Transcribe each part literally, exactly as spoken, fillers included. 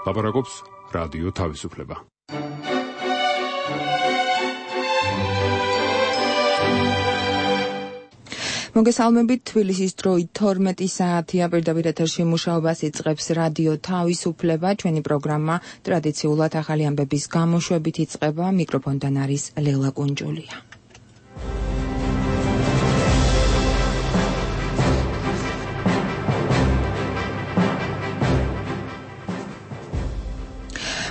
ლაპარაკობს რადიო თავისუფლება. მოგესალმებით, თბილისის დროით თორმეტი საათია, პირდაპირ ეთერში მუშაობას იწყებს რადიო თავისუფლება. ჩვენი პროგრამა ტრადიციულად ახალი ამბების გამოშვებით იწყება. მიკროფონთან არის ლელა კუნჯულია.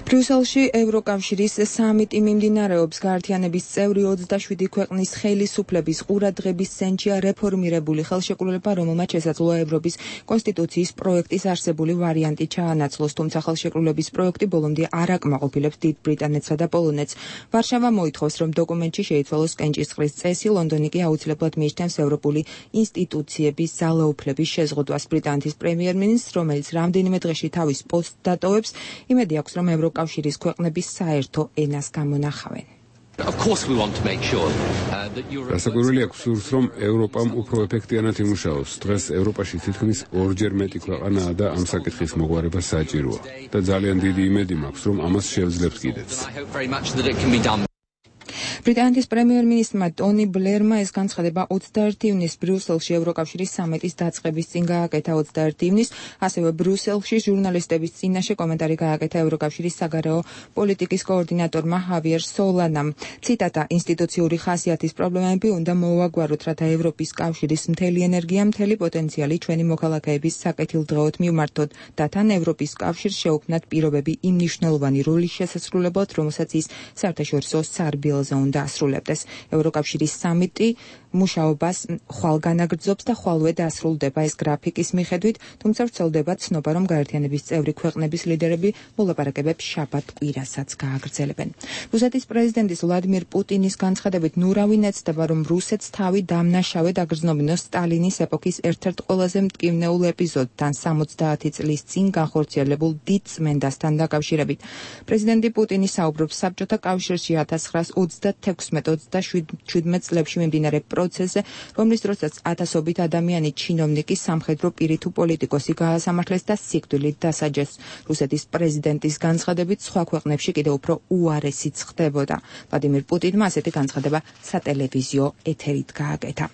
ბრიუსელში ევროკავშირის სამიტი მიმდინარეობს. გაერთიანების წევრი ოცდაშვიდი ქვეყნის ხელისუფლების ყურადღების ცენტრია რეფორმირებული ხელშეკრულება, რომელმაც შესაძლოა ევროპის კონსტიტუციის პროექტის არსებული ვარიანტი ჩაანაცვლოს, თუმცა ხელშეკრულების პროექტი ბოლომდე არ აკმაყოფილებს დიდ ბრიტანეთსა და პოლონეთს. ვარშავა მოითხოვს, რომ დოკუმენტში შეიცვალოს კენჭისყრის წესი, ლონდონი კი აუცილებლად მიიჩნევს ევროპული ინსტიტუციების ძალაუფლების შეზღუდვას. ბრიტანეთის პრემიერ-მინისტრს, რომელიც რამდენიმე დღეში თავის პოსტს დატოვებს, იმედი აქვს, რომ ევროკავშირის კავშირის ქვეყნების საერთო ენას გამონახავენ. გასაკვირველია გსურს, რომ ევროპამ უფრო ეფექტიანად იმუშაოს. დღეს ევროპაში თითქმის ორჯერ მეტი ქვეყანაა და ამ საკითხის მოგვარება საჭიროა და ძალიან დიდი იმედი მაქვს, რომ ამას შევძლებთ კიდეც. ბრიტანეთის პრემიერ-მინისტრმა ტონი ბლერმა ეს განცხადება ოცდაერთი ივნისს ბრიუსელში ევროკავშირის სამიტის დაწყების წინ გააკეთა. ოცდაერთი ივნისს ასევე ბრიუსელში ჟურნალისტების წინაშე კომენტარი გააკეთა ევროკავშირის საგარეო პოლიტიკის კოორდინატორმა ჰავიერ სოლანამ. ციტატა: ინსტიტუციური ხასიათის პრობლემები უნდა მოვაგვაროთ, რათა ევროპის კავშირის მთელი ენერგია, მთელი პოტენციალი ჩვენი მოქალაქეების საკეთილდღეოდ მივმართოთ და თან ევროპის კავშირს შეუქმნათ პირობები იმ მნიშვნელოვანი როლის შესასრულებლად, რომელსაც ის საერთაშორისო სარბიელზე უნდა ასრულებდეს. ევროკავშირის სამიტი მუშაობას ხვალ განაგრძობს და ხვალვე დასრულდება. ეს გრაფიკის მიხედვით, თუმცა ვრცელდება ცნობა, რომ გაერთიანების წევრი ქვეყნების ლიდერები მოლაპარაკებებს შაბათ კვირასაც გააგრძელებენ. რუსეთის პრეზიდენტის ვლადიმირ პუტინის განცხადებით, ნურავი ეცდება, რომ რუსეთს თავი დამნაშავედ აგრძნობინოს სტალინის ეპოქის ერთ-ერთ ყველაზე მტკივნეულ ეპიზოდთან, სამოცდაათი წლის წინ განხორციელებულ დიდ წმენდასთან დაკავშირებით. პრეზიდენტი პუტინი საუბრობს საბჭოთა კავშირში ათას ცხრაას ოცდათექვსმეტ ოცდაშვიდ წლებში მიმდინარე პროცესზე, რომლის დროსაც ათასობით ადამიანი, ჩინოვნიკი, სამხედრო პირი თუ პოლიტიკოსი გაასამართლეს და სიკვდილით დასაჯეს. რუსეთის პრეზიდენტის განცხადებით, სხვა ქვეყნებში კიდევ უფრო უარესიც ხდებოდა. ვლადიმირ პუტინმა ასეთი განცხადება სატელევიზიო ეთერით გააკეთა.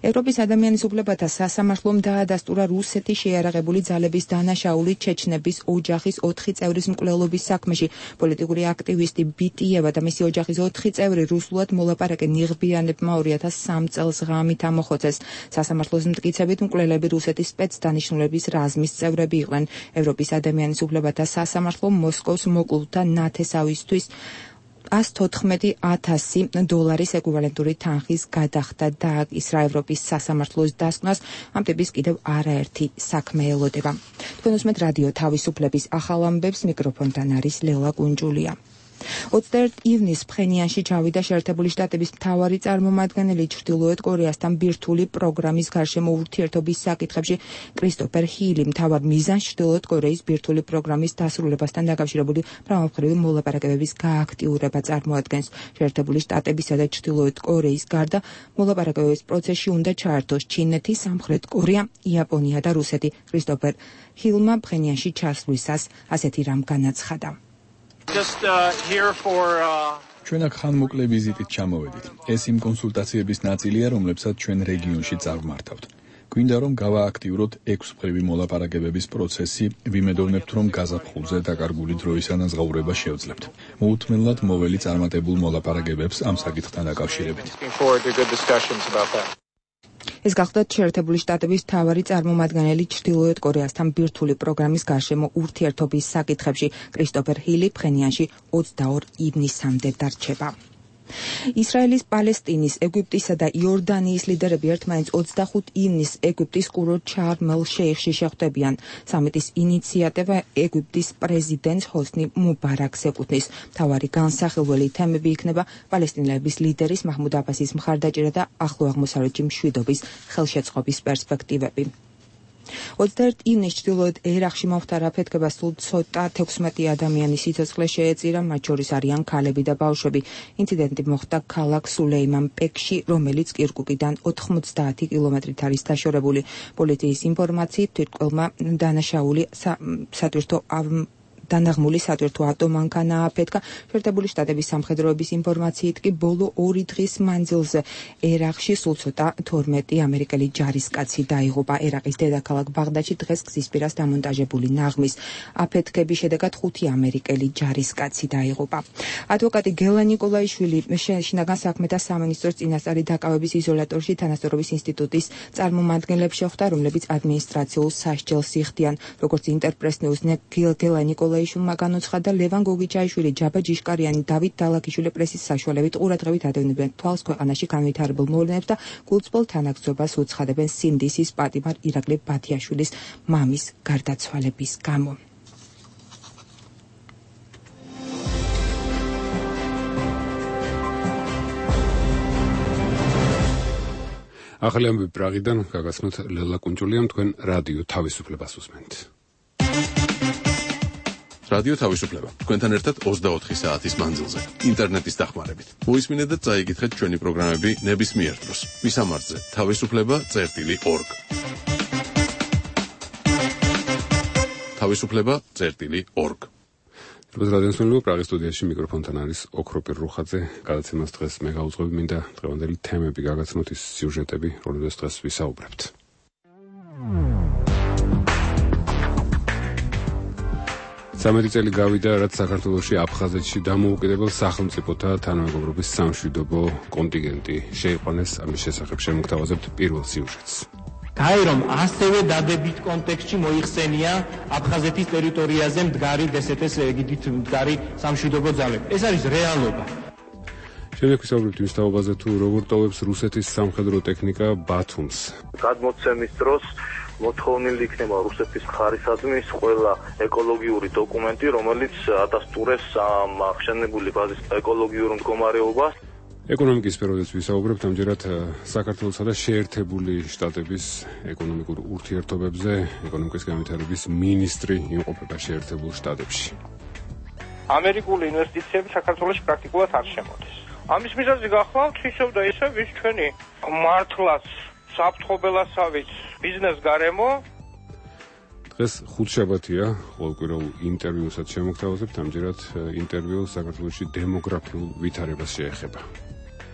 ევროპის ადამიანის უფლებათა სასამართლომ დაადასტურა რუსეთი შეიარაღებული ძალების დანაშაული ჩეჩნების ოჯახის ოთხი წევრის მკვლელობის საქმეში. პოლიტიკური აქტივისტი ბიტიევა და მისი ოჯახის ოთხი წევრი რუსულად მოლაპარაკე ნიღბიანებმა ორი ათას სამ წელს ღამით ამოხოცეს. სასამართლოს მტკიცებით, მკვლელები რუსეთის სპეცდანიშნულების რაზმის წევრები იყვნენ. ევროპის ადამიანის უფლებათა სასამართლომ მოსკოვს მოკლულთა ნათესავისთვის ას თოთხმეტი ათასი დოლარის ეკვივალენტური თანხის გადახდა დააკისრა. ევროპის სასამართლოს დასკვნას ამ ტიპის კიდევ არაერთი საქმე ელოდება. თქვენ უსმენთ რადიო თავისუფლების ახალ ამბებს, მიკროფონთან არის ლელა კუნჯულია. ოცდაერთი ივნისს ფხენიანში ჩავიდა შეერთებული შტატების მთავარი წარმომადგენელი ჩრდილოეთ კორეასთან ბირთვული პროგრამის გარშემო ურთიერთობის საკითხებში. კრისტოფერ ჰილი მთავარ მიზანს ჩრდილოეთ კორეის ბირთვული პროგრამის დასრულებასთან დაკავშირებული მრავალმხრივი მოლაპარაკებების გააქტიურება წარმოადგენს. შეერთებული შტატებისა და ჩრდილოეთ კორეის გარდა მოლაპარაკებების პროცესში უნდა ჩაერთოს ჩინეთი, სამხრეთ კორეა, იაპონია და რუსეთი. კრისტოფერ ჰილმა ფხენიანში ჩასვლისას ასეთი რამ განაცხადა. Just uh, here for uh... ჩვენ აქ ხანმოკლე ვიზიტით ჩამოვედით. ეს იმ კონსულტაციების ნაწილია, რომლებსაც ჩვენ რეგიონში წარმართავთ. გვინდა რომ გავააქტიუროთ ექვსმხრივი მოლაპარაკებების პროცესი, ვიმედოვნებთ, რომ გაზაფხულზე დაკარგული დროის ანაზღაურება შევძლებთ. მოუთმენლად მოველი წარმატებულ მოლაპარაკებებს ამ საკითხთან დაკავშირებით. ეს გახლდათ შეერთებული შტატების მთავარი წარმომადგენელი ჩრდილოეთ კორეასთან ბირთვული პროგრამის გარშემო ურთიერთობის საკითხებში. კრისტოფერ ჰილი ფხენიანში ოცდაორი ივნისამდე დარჩება. ისრაელის, პალესტინის, ეგვიპტისა და იორდანიის ლიდერები ერთმანეთს ოცდახუთი ივნისს ეგვიპტის კურორტ შარმ-ელ-შეიხში შეხვდებიან. სამიტის ინიციატივა ეგვიპტის პრეზიდენტს ჰოსნი მუბარაკს ეკუთვნის. მთავარი განსახილველი თემები იქნება პალესტინელების ლიდერის მაჰმუდ აბასის მხარდაჭერა და ახლო აღმოსავლეთში მშვიდობის ხელშეწყობის პერსპექტივები. ოცდაერთი ივნისს ჩრდილოეთ ერაყში მომხდარა აფეთქება სულ ცოტა თექვსმეტი ადამიანის სიცოცხლე შეეწირა, მათ შორის არიან ქალები და ბავშვები. ინციდენტი მოხდა ქალაქ სულეიმანპეკში, რომელიც კირკუკიდან ოთხმოცდაათი კილომეტრით არის დაშორებული. პოლიციის ინფორმაციით, თვითმკვლელმა დანაშაული სატვირთო დანაღმული სატვირთო ატომანქანა აფეთქა. შეერთებული შტატების სამხედროების ინფორმაციით კი ბოლო ორი დღის მანძილზე ერაყში სულ ცოტა თორმეტი ამერიკელი ჯარისკაცი დაიღუპა. ერაყის დედაქალაქ ბაღდადში დღეს გზის პირას დამონტაჟებული ნაღმის აფეთქების შედეგად ხუთი ამერიკელი ჯარისკაცი დაიღუპა. ადვოკატი გელა ნიკოლაიშვილი შინაგან საქმეთა სამინისტროს წინასწარი დაკავების იზოლატორში თანასწორობის ინსტიტუტის წარმომადგენლებს შეხვდა, რომლებიც ადმინისტრაციულ სასჯელს იხდიან. როგორც ინტერპრეს ნიუზ-ს გელა ნიკოლაიშვილმა განუცხადა, ლევან გოგიჩაიშვილი, ჯაბა ჯიშკარიანი, დავით დალაქიშვილი პრესის საშუალებით ყურადღებით ადევნებენ თვალს ქვეყანაში განვითარებულ მოვლენებს და გულწრფელ თანაგზობას უცხადებენ სინდისის პატიმარ ირაკლი ბათიაშვილის მამის გარდაცვალების გამო. ახალი ამბები პრაღიდან გაგაცნოთ ლელა კუნჭულიამ, თქვენ რადიო თავისუფლებას უსმენთ. რადიო თავისუფლება თქვენთან ერთად ოცდაოთხი საათის მანძილზე ინტერნეტის დახმარებით. მოისმინეთ და წაიკითხეთ ჩვენი პროგრამები ნებისმიერ დროს. მისამართზე თავისუფლება წერტილი ორგ. თავისუფლება წერტილი ორგ. რადიოსმენელო პრაღის სტუდიაში მიკროფონთან არის ოქროპირ რუხაძე. გადაცემას დღეს მე გავუძღვები, მინდა დღევანდელი თემები გაგაცნოთ, ის სიუჟეტები, რომლებზეც დღეს ვისაუბრებთ. სამეტი წელი გავიდა, რაც საქართველოში აფხაზეთში დამოუკიდებელ სახელმწიფოთა თანამეგობრობის სამშვიდობო კონტინგენტი შეიყვანეს. ამის შესახებ შემოგთავაზებთ პირველ სიუჟეტს. გაერომ ასევე დადებით კონტექსტში მოიხსენია აფხაზეთის ტერიტორიაზე მდგარი დსთ-ს ეგიდით მდგარი სამშვიდობო ძალები. ეს არის რეალობა. შემდეგ ვისაუბრებთ იმის თაობაზე, თუ როგორ ტოვებს რუსეთის სამხედრო ტექნიკა ბათუმს. გადმოცემის დროს მოთხოვნილი იქნება რუსეთის მხარისადმის ყველა ეკოლოგიური დოკუმენტი, რომელიც ადასტურებს ამ აღშენებული ბაზის ეკოლოგიურ მდგომარეობას. ეკონომიკის სფეროდაც ვისაუბრებთ ამჯერად საქართველოსა და შეერთებული შტატების ეკონომიკურ ურთიერთობებზე. ეკონომიკის განვითარების მინისტრი იმყოფება შეერთებულ შტატებში. ამერიკული ინვესტიციები საქართველოში პრაქტიკულად არ შემოდის. ამის მიზეზი გახლავთ ისევ და ისევ ვის ჩვენი მართლაც საფრთხობელასავით ბიზნეს გარემო. დღეს ხუთშაბათია, ყოველკვირეულ ინტერვიუსაც შემოგთავაზებთ. ამჯერად ინტერვიუ საქართველოში დემოგრაფიულ ვითარებას შეეხება.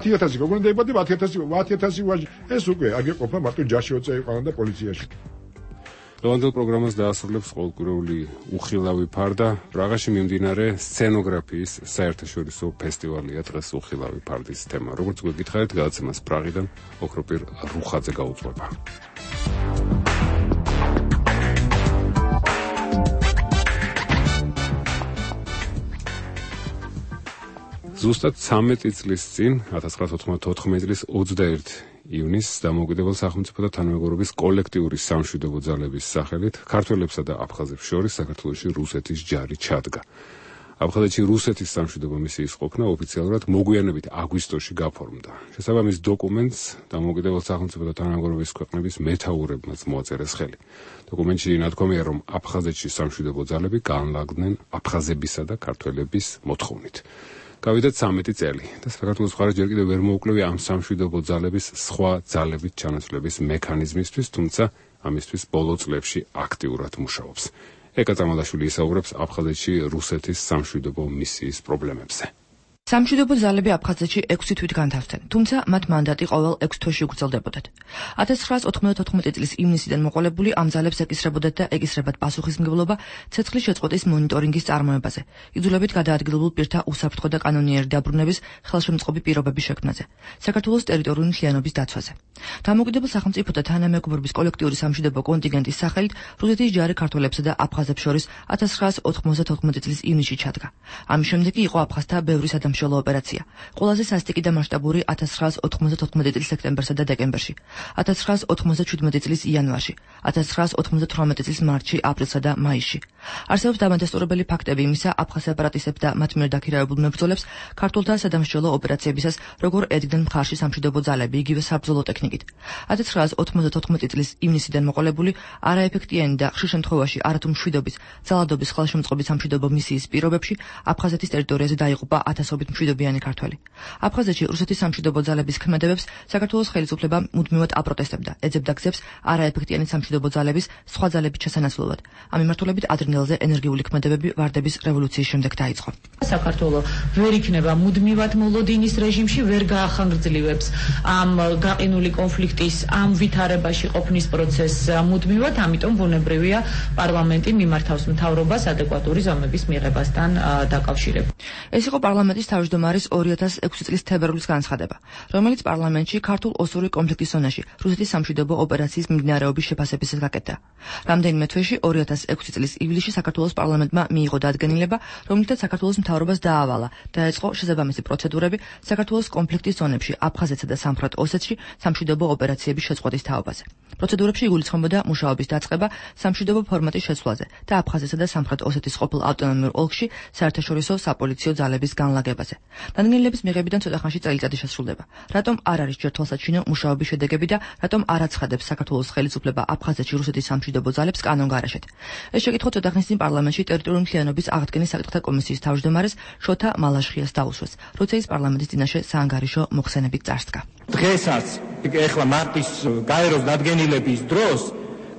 ათი ათასი როგორ დაიბადი ათი ათასი ათი ათასი ვაჟი ეს უკვე აგეყოფა მარტო ჯაში ოწეიყანა და პოლიციაში. დღევანდელ პროგრამას დაასრულებს ყოველკვირეული უხილავი ფარდა. პრაღაში მიმდინარე სცენოგრაფიის საერთაშორისო ფესტივალია დღეს უხილავი ფარდის თემა. როგორც გვეკითხარით, გადაცემას პრაღიდან ოქროპირ რუხაძე გაუძღვება. ზუსტად ცამეტი წლის წინ, ათას ცხრაასა ოთხმოცდაოთხი წლის ოცდაერთი ივნისს დამოუკიდებელ სახელმწიფოთა თანამეგობრობის კოლექტიური სამშვიდობო ძალების სახელით ქართველებსა და აფხაზებს შორის საქართველოში რუსეთის ჯარი ჩადგა. აფხაზეთში რუსეთის სამშვიდობო მისიის ყოფნა ოფიციალურად მოგვიანებით აგვისტოში გაფორმდა. შესაბამის დოკუმენტს დამოუკიდებელ სახელმწიფოთა თანამეგობრობის ქვეყნების მეთაურებმაც მოაწერეს ხელი. დოკუმენტში ნათქვამია, რომ აფხაზეთში სამშვიდობო ძალები განლაგდნენ აფხაზებისა და ქართველების მოთხოვნით. გავიდა ცამეტი წელი და საქართველოს მხარე ჯერ კიდევ ვერ მოუკლევია ამ სამშვიდობო ძალების სხვა ძალებით ჩანაცვლების მექანიზმისთვის, თუმცა ამისთვის ბოლო წლებში აქტიურად მუშაობს. ეკა წამალაშვილი ისაუბრებს აფხაზეთში რუსეთის სამშვიდობო მისიის პრობლემებზე. სამშვიდობო ძალები აფხაზეთში ექვსი თვით განთავსდნენ, თუმცა მათ მანდატი ყოველ ექვს თვეში უგრძელდებოდათ. ათას ცხრაასა ოთხმოცდაოთხი წლის ივნისიდან მოყოლებული ამ ძალებს ეკისრებოდათ და ეკისრებათ პასუხისმგებლობა ცეცხლის შეწყვეტის მონიტორინგის წარმოებაზე, იძულებით გადაადგილებულ პირთა უსაფრთხო და კანონიერი დაბრუნების ხელშემწყობი პირობების შექმნაზე, საქართველოს ტერიტორიული მთლიანობის დაცვაზე. დამოუკიდებელ სახელმწიფოთა თანამეგობრობის კოლექტიური სამშვიდობო კონტინგენტის სახელით რუსეთის ჯარი ქართველებსა და აფხაზებს შორის ათას ცხრაასა ოთხმოცდაოთხი წლის ივნისში ჩადგა. ამის შემდეგ იყო აფხაზთა ბევრი სამშობლო ოპერაცია. ყველაზე სასტიკი და მასშტაბური ათას ცხრაასა ოთხმოცდაოთხი წლის სექტემბერსა და დეკემბერში, ათას ცხრაასა ოთხმოცდაშვიდმეტი წლის იანვარში, ათას ცხრაასა ოთხმოცდათვრამეტი წლის მარტში, აპრილსა და მაისში. არსებობს დამადასტურებელი ფაქტები იმისა, აფხაზ სეპარატისტებს და მათ მიერ დაქირავებულ მებრძოლებს ქართველთა სადამსჯელო ოპერაციებისას როგორ ედგნენ მხარში სამშვიდობო ძალები, იგივე საბრძოლო ტექნიკით. ათას ცხრაასა ოთხმოცდაოთხი წლის ივნისიდან მოყოლებული არაეფექტიანი და ხშირ შემთხვევაში არათუ მშვიდობის, ძალადობის ხელშემწყობის სამშვიდობო მისიის პირობებში აფხაზეთის ტერიტორიაზე დაიღუპა ათასობით დაახლოებით მშვიდობიანი ქართველი. აფხაზეთში რუსეთის სამშვიდობო ძალების ქმედებებს საქართველოს ხელისუფლება მუდმივად აპროტესტებდა, ეძებდა გზებს არაეფექტიანი სამშვიდობო ძალების სხვა ძალების ჩასანაცვლებლად. ამ მიმართულებით ადრინდელზე ენერგიული ქმედებები ვარდების რევოლუციის შემდეგ დაიწყო. საქართველოს ვერ იქნება მუდმივად მოლოდინის რეჟიმში, ვერ გაახანგრძლივებს ამ გაყინული კონფლიქტის ამ ვითარებაში ყოფნის პროცესს მუდმივად, ამიტომ ბუნებრივია პარლამენტი მიმართავს მთავრობას ადეკვატური ზომების მიღებასთან დაკავშირებით. ეს იყო პარლამენტის თავმჯდომარის ორი ათას ექვსი წლის თებერვლის განცხადება, რომელიც პარლამენტში ქართულ-ოსური კონფლიქტის ზონაში რუსეთის სამშვიდობო ოპერაციის მიმდინარეობის შეფასებისას გაკეთდა. რამდენიმე თვეში ორი ათას ექვსი წლის ივლისში საქართველოს პარლამენტმა მიიღო დადგენილება, რომლითაც საქართველოს მთავრობას დაავალა, დაეწყო შესაბამისი პროცედურები საქართველოს კონფლიქტის ზონებში, აფხაზეთსა და სამხრეთ ოსეთში სამშვიდობო ოპერაციების შეწყვეტის თაობაზე. პროცედურებში იგულისხმებოდა მუშაობის დაწყება სამშვიდობო ფორმატის შეცვლაზე და აფხაზეთსა და სამხრეთ ოსეთის ყოფილ ავტონომიურ ოლქში საერთაშორისო საპოლიციო ძალების განლაგებაზე. დადგენილების მიღებიდან ცოტა ხანში წელიწადი შესრულდება. რატომ არ არის ჯერ თვალსაჩინო მუშაობის შედეგები და რატომ არ აცხადებს საქართველოს ხელისუფლება აფხაზეთში რუსეთის სამშვიდობო ძალებს კანონგარაშეთ? ეს შეკითხვა ცოტა ხნის წინ პარლამენტში ტერიტორიული მთლიანობის აღდგენის საკითხთა კომისიის თავმჯდომარეს შოთა მალაშხიას დაუსვეს, როცა ის პარლამენტის წინაშე საანგარიშო მოხსენებით წარსდგა. დღესაც ეხლა მარტის გაეროს დადგენილების დროს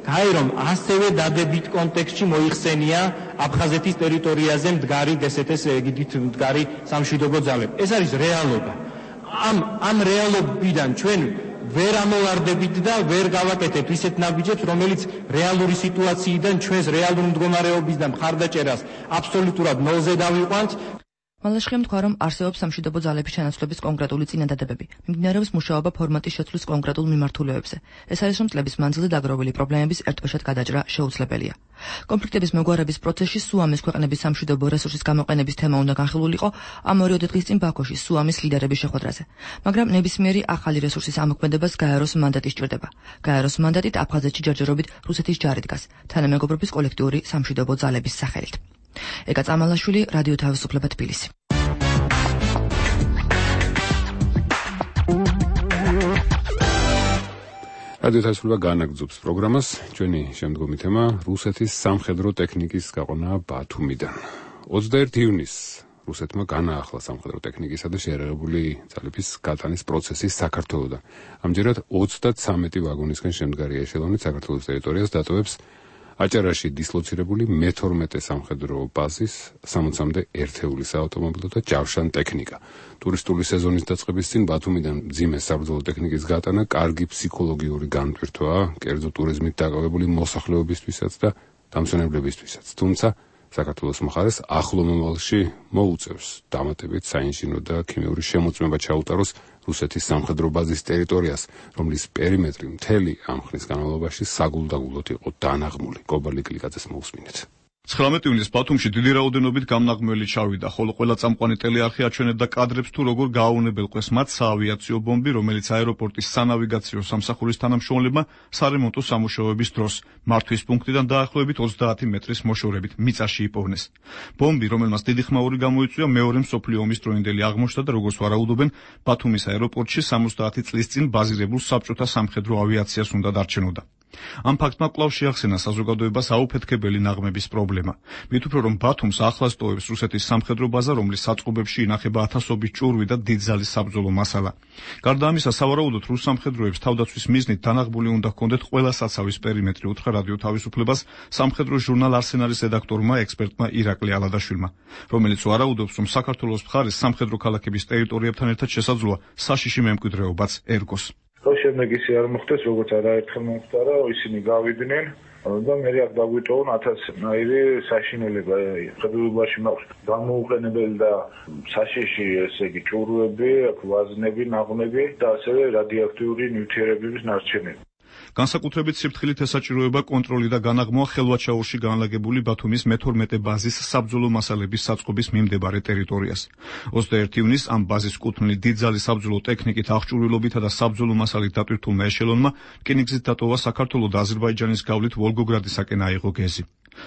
გაერომ ასევე დადებით კონტექსტში მოიხსენია აფხაზეთის ტერიტორიაზე მდგარი დსთ-ს ეგიდით მდგარი სამშვიდობო ძალები. ეს არის რეალობა. ამ ამ რეალობიდან ჩვენ ვერ ამოვარდებით და ვერ გავაკეთებთ ისეთ ნაბიჯებს, რომელიც რეალური სიტუაციიდან ჩვენს რეალურ მდგომარეობის და მხარდაჭერას აბსოლუტურად ნოლზე დავიყვანთ. მალაშხიამ თქვა, რომ არსებობს სამშვიდობო ძალების ჩანაცვლების კონკრეტული წინადადებები. მიმდინარეობს მუშაობა ფორმატის შეცვლის კონკრეტულ მიმართულებებზე. ეს არის, რომ წლების მანძილზე დაგროვილი პრობლემების ერთბაშად გადაჭრა შეუძლებელია. კონფლიქტების მოგვარების პროცესში სუამის ქვეყნების სამშვიდობო რესურსის გამოყენების თემა უნდა განხილულიყო ამ ორი დღის წინ ბაქოში სუამის ლიდერების შეხვედრაზე. მაგრამ ნებისმიერი ახალი რესურსის ამოქმედებას გაეროს მანდატი სჭირდება. გაეროს მანდატით აფხაზეთში ჯერჯერობით რუსეთის ჯარი დგას, თანამეგობრობის კოლექტიური სამშვიდობო ძალების სახელით. ეკა წამალაშვილი, რადიო თავისუფლება, თბილისი. რადიო თავისუფლება განაგრძობს პროგრამას. ჩვენი შემდგომი თემა რუსეთის სამხედრო ტექნიკის გაყონა ბათუმიდან. ოცდაერთი ივნისს რუსეთმა განაახლა სამხედრო ტექნიკისა და შეიარაღებული ძალების გატანის პროცესი საქართველოდან. ამჯერად ოცდაცამეტი ვაგონისგან შემდგარი ეშელონით საქართველოს ტერიტორიას დატოვებს აჭარაში დისლოცირებული მეთორმეტე სამხედრო ბაზის სამოცამდე ერთეული საავტომობილო და ჯავშან ტექნიკა. ტურისტული სეზონის დაწყების წინ ბათუმიდან მძიმე საბრძოლო ტექნიკის გატანა კარგი ფსიქოლოგიური განტვირთვაა კერძო ტურიზმით დაკავებული მოსახლეობისთვისაც და დამსვენებლებისთვისაც. თუმცა საქართველოს მხარეს ახლო მომავალში მოუწევს დამატებით საინჟინრო და ქიმიური შემოწმება ჩაუტაროს რუსეთის სამხედრო ბაზის ტერიტორიას, რომლის პერიმეტრი მთელი ამ ხნის განმავლობაში საგულდაგულოდ იყო დანაღმული. კობალი კლიკაძეს მოусმინეთ. ცხრამეტი ივნისს ბათუმში დიდი რაოდენობით გამნაღმველი ჩავიდა, ხოლო ყველა წამყვანი ტელეარხი აჩვენებდა კადრებს თუ როგორ გააუნებელყვეს მათ საავიაციო ბომბი, რომელიც აეროპორტის სანავიგაციო სამსახურის თანამშრომლებმა სარემონტო სამუშაოების დროს მართვის პუნქტიდან დაახლოებით ოცდაათი მეტრის მოშორებით მიწაში იპოვნეს. ბომბი, რომელმაც დიდი ხმაური გამოიწვია, მეორე მსოფლიო ომის დროინდელი აღმოჩნდა და როგორც ვარაუდობენ, ბათუმის აეროპორტში სამოცდაათი წლის წინ ბაზირებულ საბჭოთა სამხედრო ავიაციას უნდა დარჩენოდა. ამ ფაქტმა კვლავ შეახსენა საზოგადოებას აუფეთქებელი ნაღმების პრობლემა. მით უფრო რომ ბათუმს ახლას ტოვებს რუსეთის სამხედრო ბაზა, რომლის საწყობებში ინახება ათასობით ჭურვი და დიდძალის საბრძოლო მასალა. გარდა ამისა, სავარაუდოდ რუს სამხედროებს თავდაცვის მიზნით დანაღმული უნდა ჰქონდეთ ყველა საცავის პერიმეტრი, უთხრა რადიო თავისუფლებას სამხედრო ჟურნალ არსენალის რედაქტორმა ექსპერტმა ირაკლი ალადაშვილმა, რომელიც ვარაუდობს, რომ საქართველოს მხარეს სამხედრო ქალაქების ტერიტორიებთან ერთად შესაძლოა საშიში მემკვიდრეობაც ერგოს. შემდეგ ისე არ მოხდეს, როგორც არაერთხელ მომხდარა, ისინი გავიდნენ და მე აქ დაგვიტოვონ ათასნაირი საშინელება. ხელოვნებაში მაქვს გამოუყენებელი და საშიში, ესე იგი, ჭურვები, ვაზნები, ნაღმები და ასევე რადიოაქტიური ნივთიერებების ნარჩენები. განსაკუთრებით სიფრთხილით ესაჭიროება კონტროლი და განაღმვა ხელვაჩაურში განლაგებული ბათუმის მეთორმეტე ბაზის საბრძოლო მასალების საწყობის მიმდებარე ტერიტორიას. ოცდაერთი ივნისს ამ ბაზის კუთვნილი დიდძალი საბრძოლო ტექნიკით აღჭურვილობითა და საბრძოლო მასალით დატვირთულმა ეშელონმა რკინიგზით დატოვა საქართველოს და აზერბაიჯანის გავლით ვოლგოგრადისაკენ აიღო გეზი.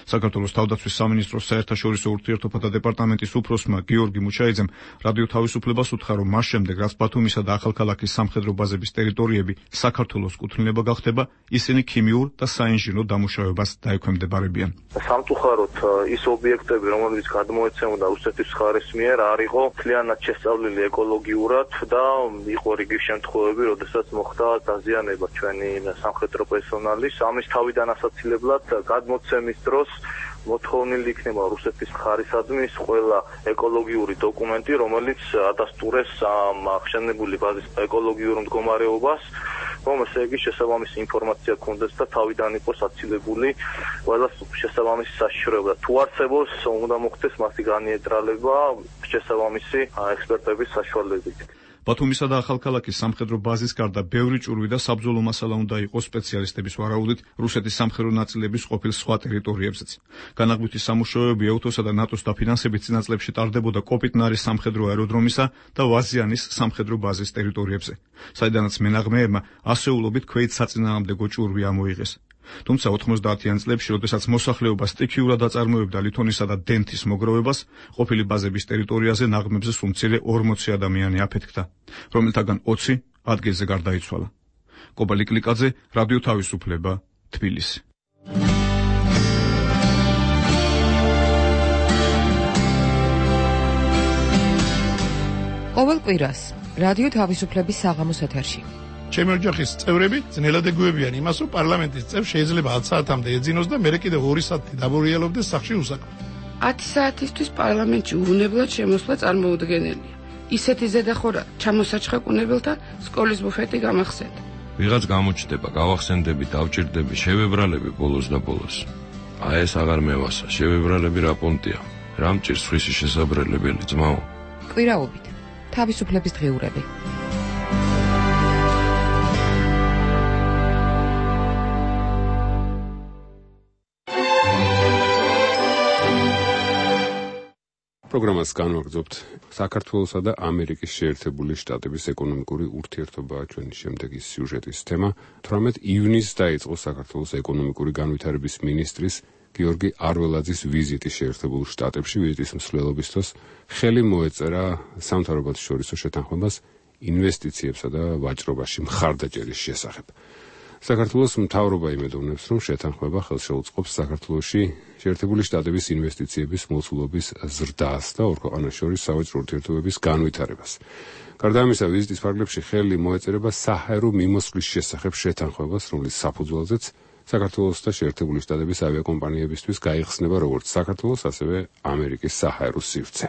საქართველოს თავდაცვის სამინისტროს საერთაშორისო ურთიერთობათა დეპარტამენტის უფროსმა გიორგი მუჩაიძემ რადიო თავისუფლებას უთხრა, რომ მას შემდეგ, რაც ბათუმისა და ახალქალაქის სამხედრო ბაზების ტერიტორიები საქართველოს კუთვნილება გახდება, ისინი ქიმიურ და საინჟინრო დამუშავებას დაექვემდებარებიან. სამწუხაროდ ის ობიექტები, რომლებიც გადმოეცემოდა რუსეთის მხარის მიერ, არ იყო მთლიანად შესწავლილი ეკოლოგიურად და იყო რიგი შემთხვევები, როდესაც მოხდა დაზიანება ჩვენი სამხედრო პერსონალის. ამის თავიდან ასაცილებლად გადმოცემის დროს მოთხოვნილი იქნება რუსეთის მხარისადმი ყველა ეკოლოგიური დოკუმენტი, რომელიც ადასტურებს ამ აღშენებული ბაზის ეკოლოგიურ მდგომარეობას, რომ ესე იგი შესაბამისი ინფორმაცია ქონდეს და თავიდან იყოს აცილებული ყველა შესაბამისი საშიშროება. თუ არსებობს, უნდა მოხდეს მასი განიეტრალება შესაბამისი ექსპერტების საშუალებით. ბათუმისა და ახალქალაქის სამხედრო ბაზის გარდა ბევრი ჭურვი და საბრძოლო მასალა უნდა იყოს სპეციალისტების ვარაუდით რუსეთის სამხედრო ნაწილების ყოფილ სხვა ტერიტორიებზეც. განაღვთი სამუშაოები ეუთოსა და ნატოს დაფინანსებით წინა წლებში ტარდებოდა კოპიტნარის სამხედრო აეროდრომისა და ვაზიანის სამხედრო ბაზის ტერიტორიებზე, საიდანაც მენაღმეებმა ასეულობით ქვეით-საწინააღმდეგო ჭურვი ამოიღეს. თუმცა ოთხმოცდაათიან წლებში, როდესაც მოსახლეობა სტიქიურად აწარმოებდა ლითონისა და დენთის მოგროვებას, ყოფილი ბაზების ტერიტორიაზე ნაღმებზე სულ მცირე ორმოცი ადამიანი აფეთქდა, რომელთაგან ოცი ადგილზე გარდაიცვალა. კობა ლიკლიკაძე, რადიო თავისუფლება, თბილისი. ყოველ კვირას რადიო თავისუფლების საღამოს ეთერში ჩემი ოჯახის წევრები ძნელად ეგუებიან იმას, რომ პარლამენტის წევრს შეიძლება ათი საათამდე ეძინოს და მერე კიდევ ორი საათი დაბურიელობდეს სახლში უსაქმოდ. ათი საათისთვის პარლამენტში უვნებლად შემოსვლა წარმოუდგენელია. ისეთი ზედახორა ჩამოსაჩხაკუნებელთან სკოლის ბუფეტი გამახსენდა. ვიღაც გამოჩნდება, გავახსენდები, დავჭირდები, შევებრალები ბოლოს და ბოლოს. აი ეს აღარ მევასა, შევებრალები რა პონტია. რა მჭირს სხვისი შესაბრალებელი ძმაო? კვირაობით თავისუფლების დღიურები. პროგრამას განვაგრძობთ. საქართველოსა და ამერიკის შეერთებული შტატების ეკონომიკური ურთიერთობაა ჩვენი შემდეგი სიუჟეტის თემა. თვრამეტ ივნისს დაიწყო საქართველოს ეკონომიკური განვითარების მინისტრის გიორგი არველაძის ვიზიტი შეერთებულ შტატებში. ვიზიტის მსვლელობის დროს ხელი მოეწერა სამთავრობათშორისო შეთანხმებას ინვესტიციებსა და ვაჭრობაში მხარდაჭერის შესახებ. საქართველოს მთავრობა იმედოვნებს, რომ შეთანხმება ხელს შეუწყობს საქართველოში შეერთებული შტატების ინვესტიციების მოცულობის ზრდას და ორ ქვეყანას შორის სავაჭრო ურთიერთობების განვითარებას. გარდა ამისა, ვიზიტის ფარგლებში ხელი მოეწერება საჰაერო მიმოსვლის შესახებ შეთანხმებას, რომლის საფუძველზეც საქართველოს და შეერთებული შტატების ავიაკომპანიებისთვის გაიხსნება როგორც საქართველოს, ასევე ამერიკის საჰაერო სივრცე.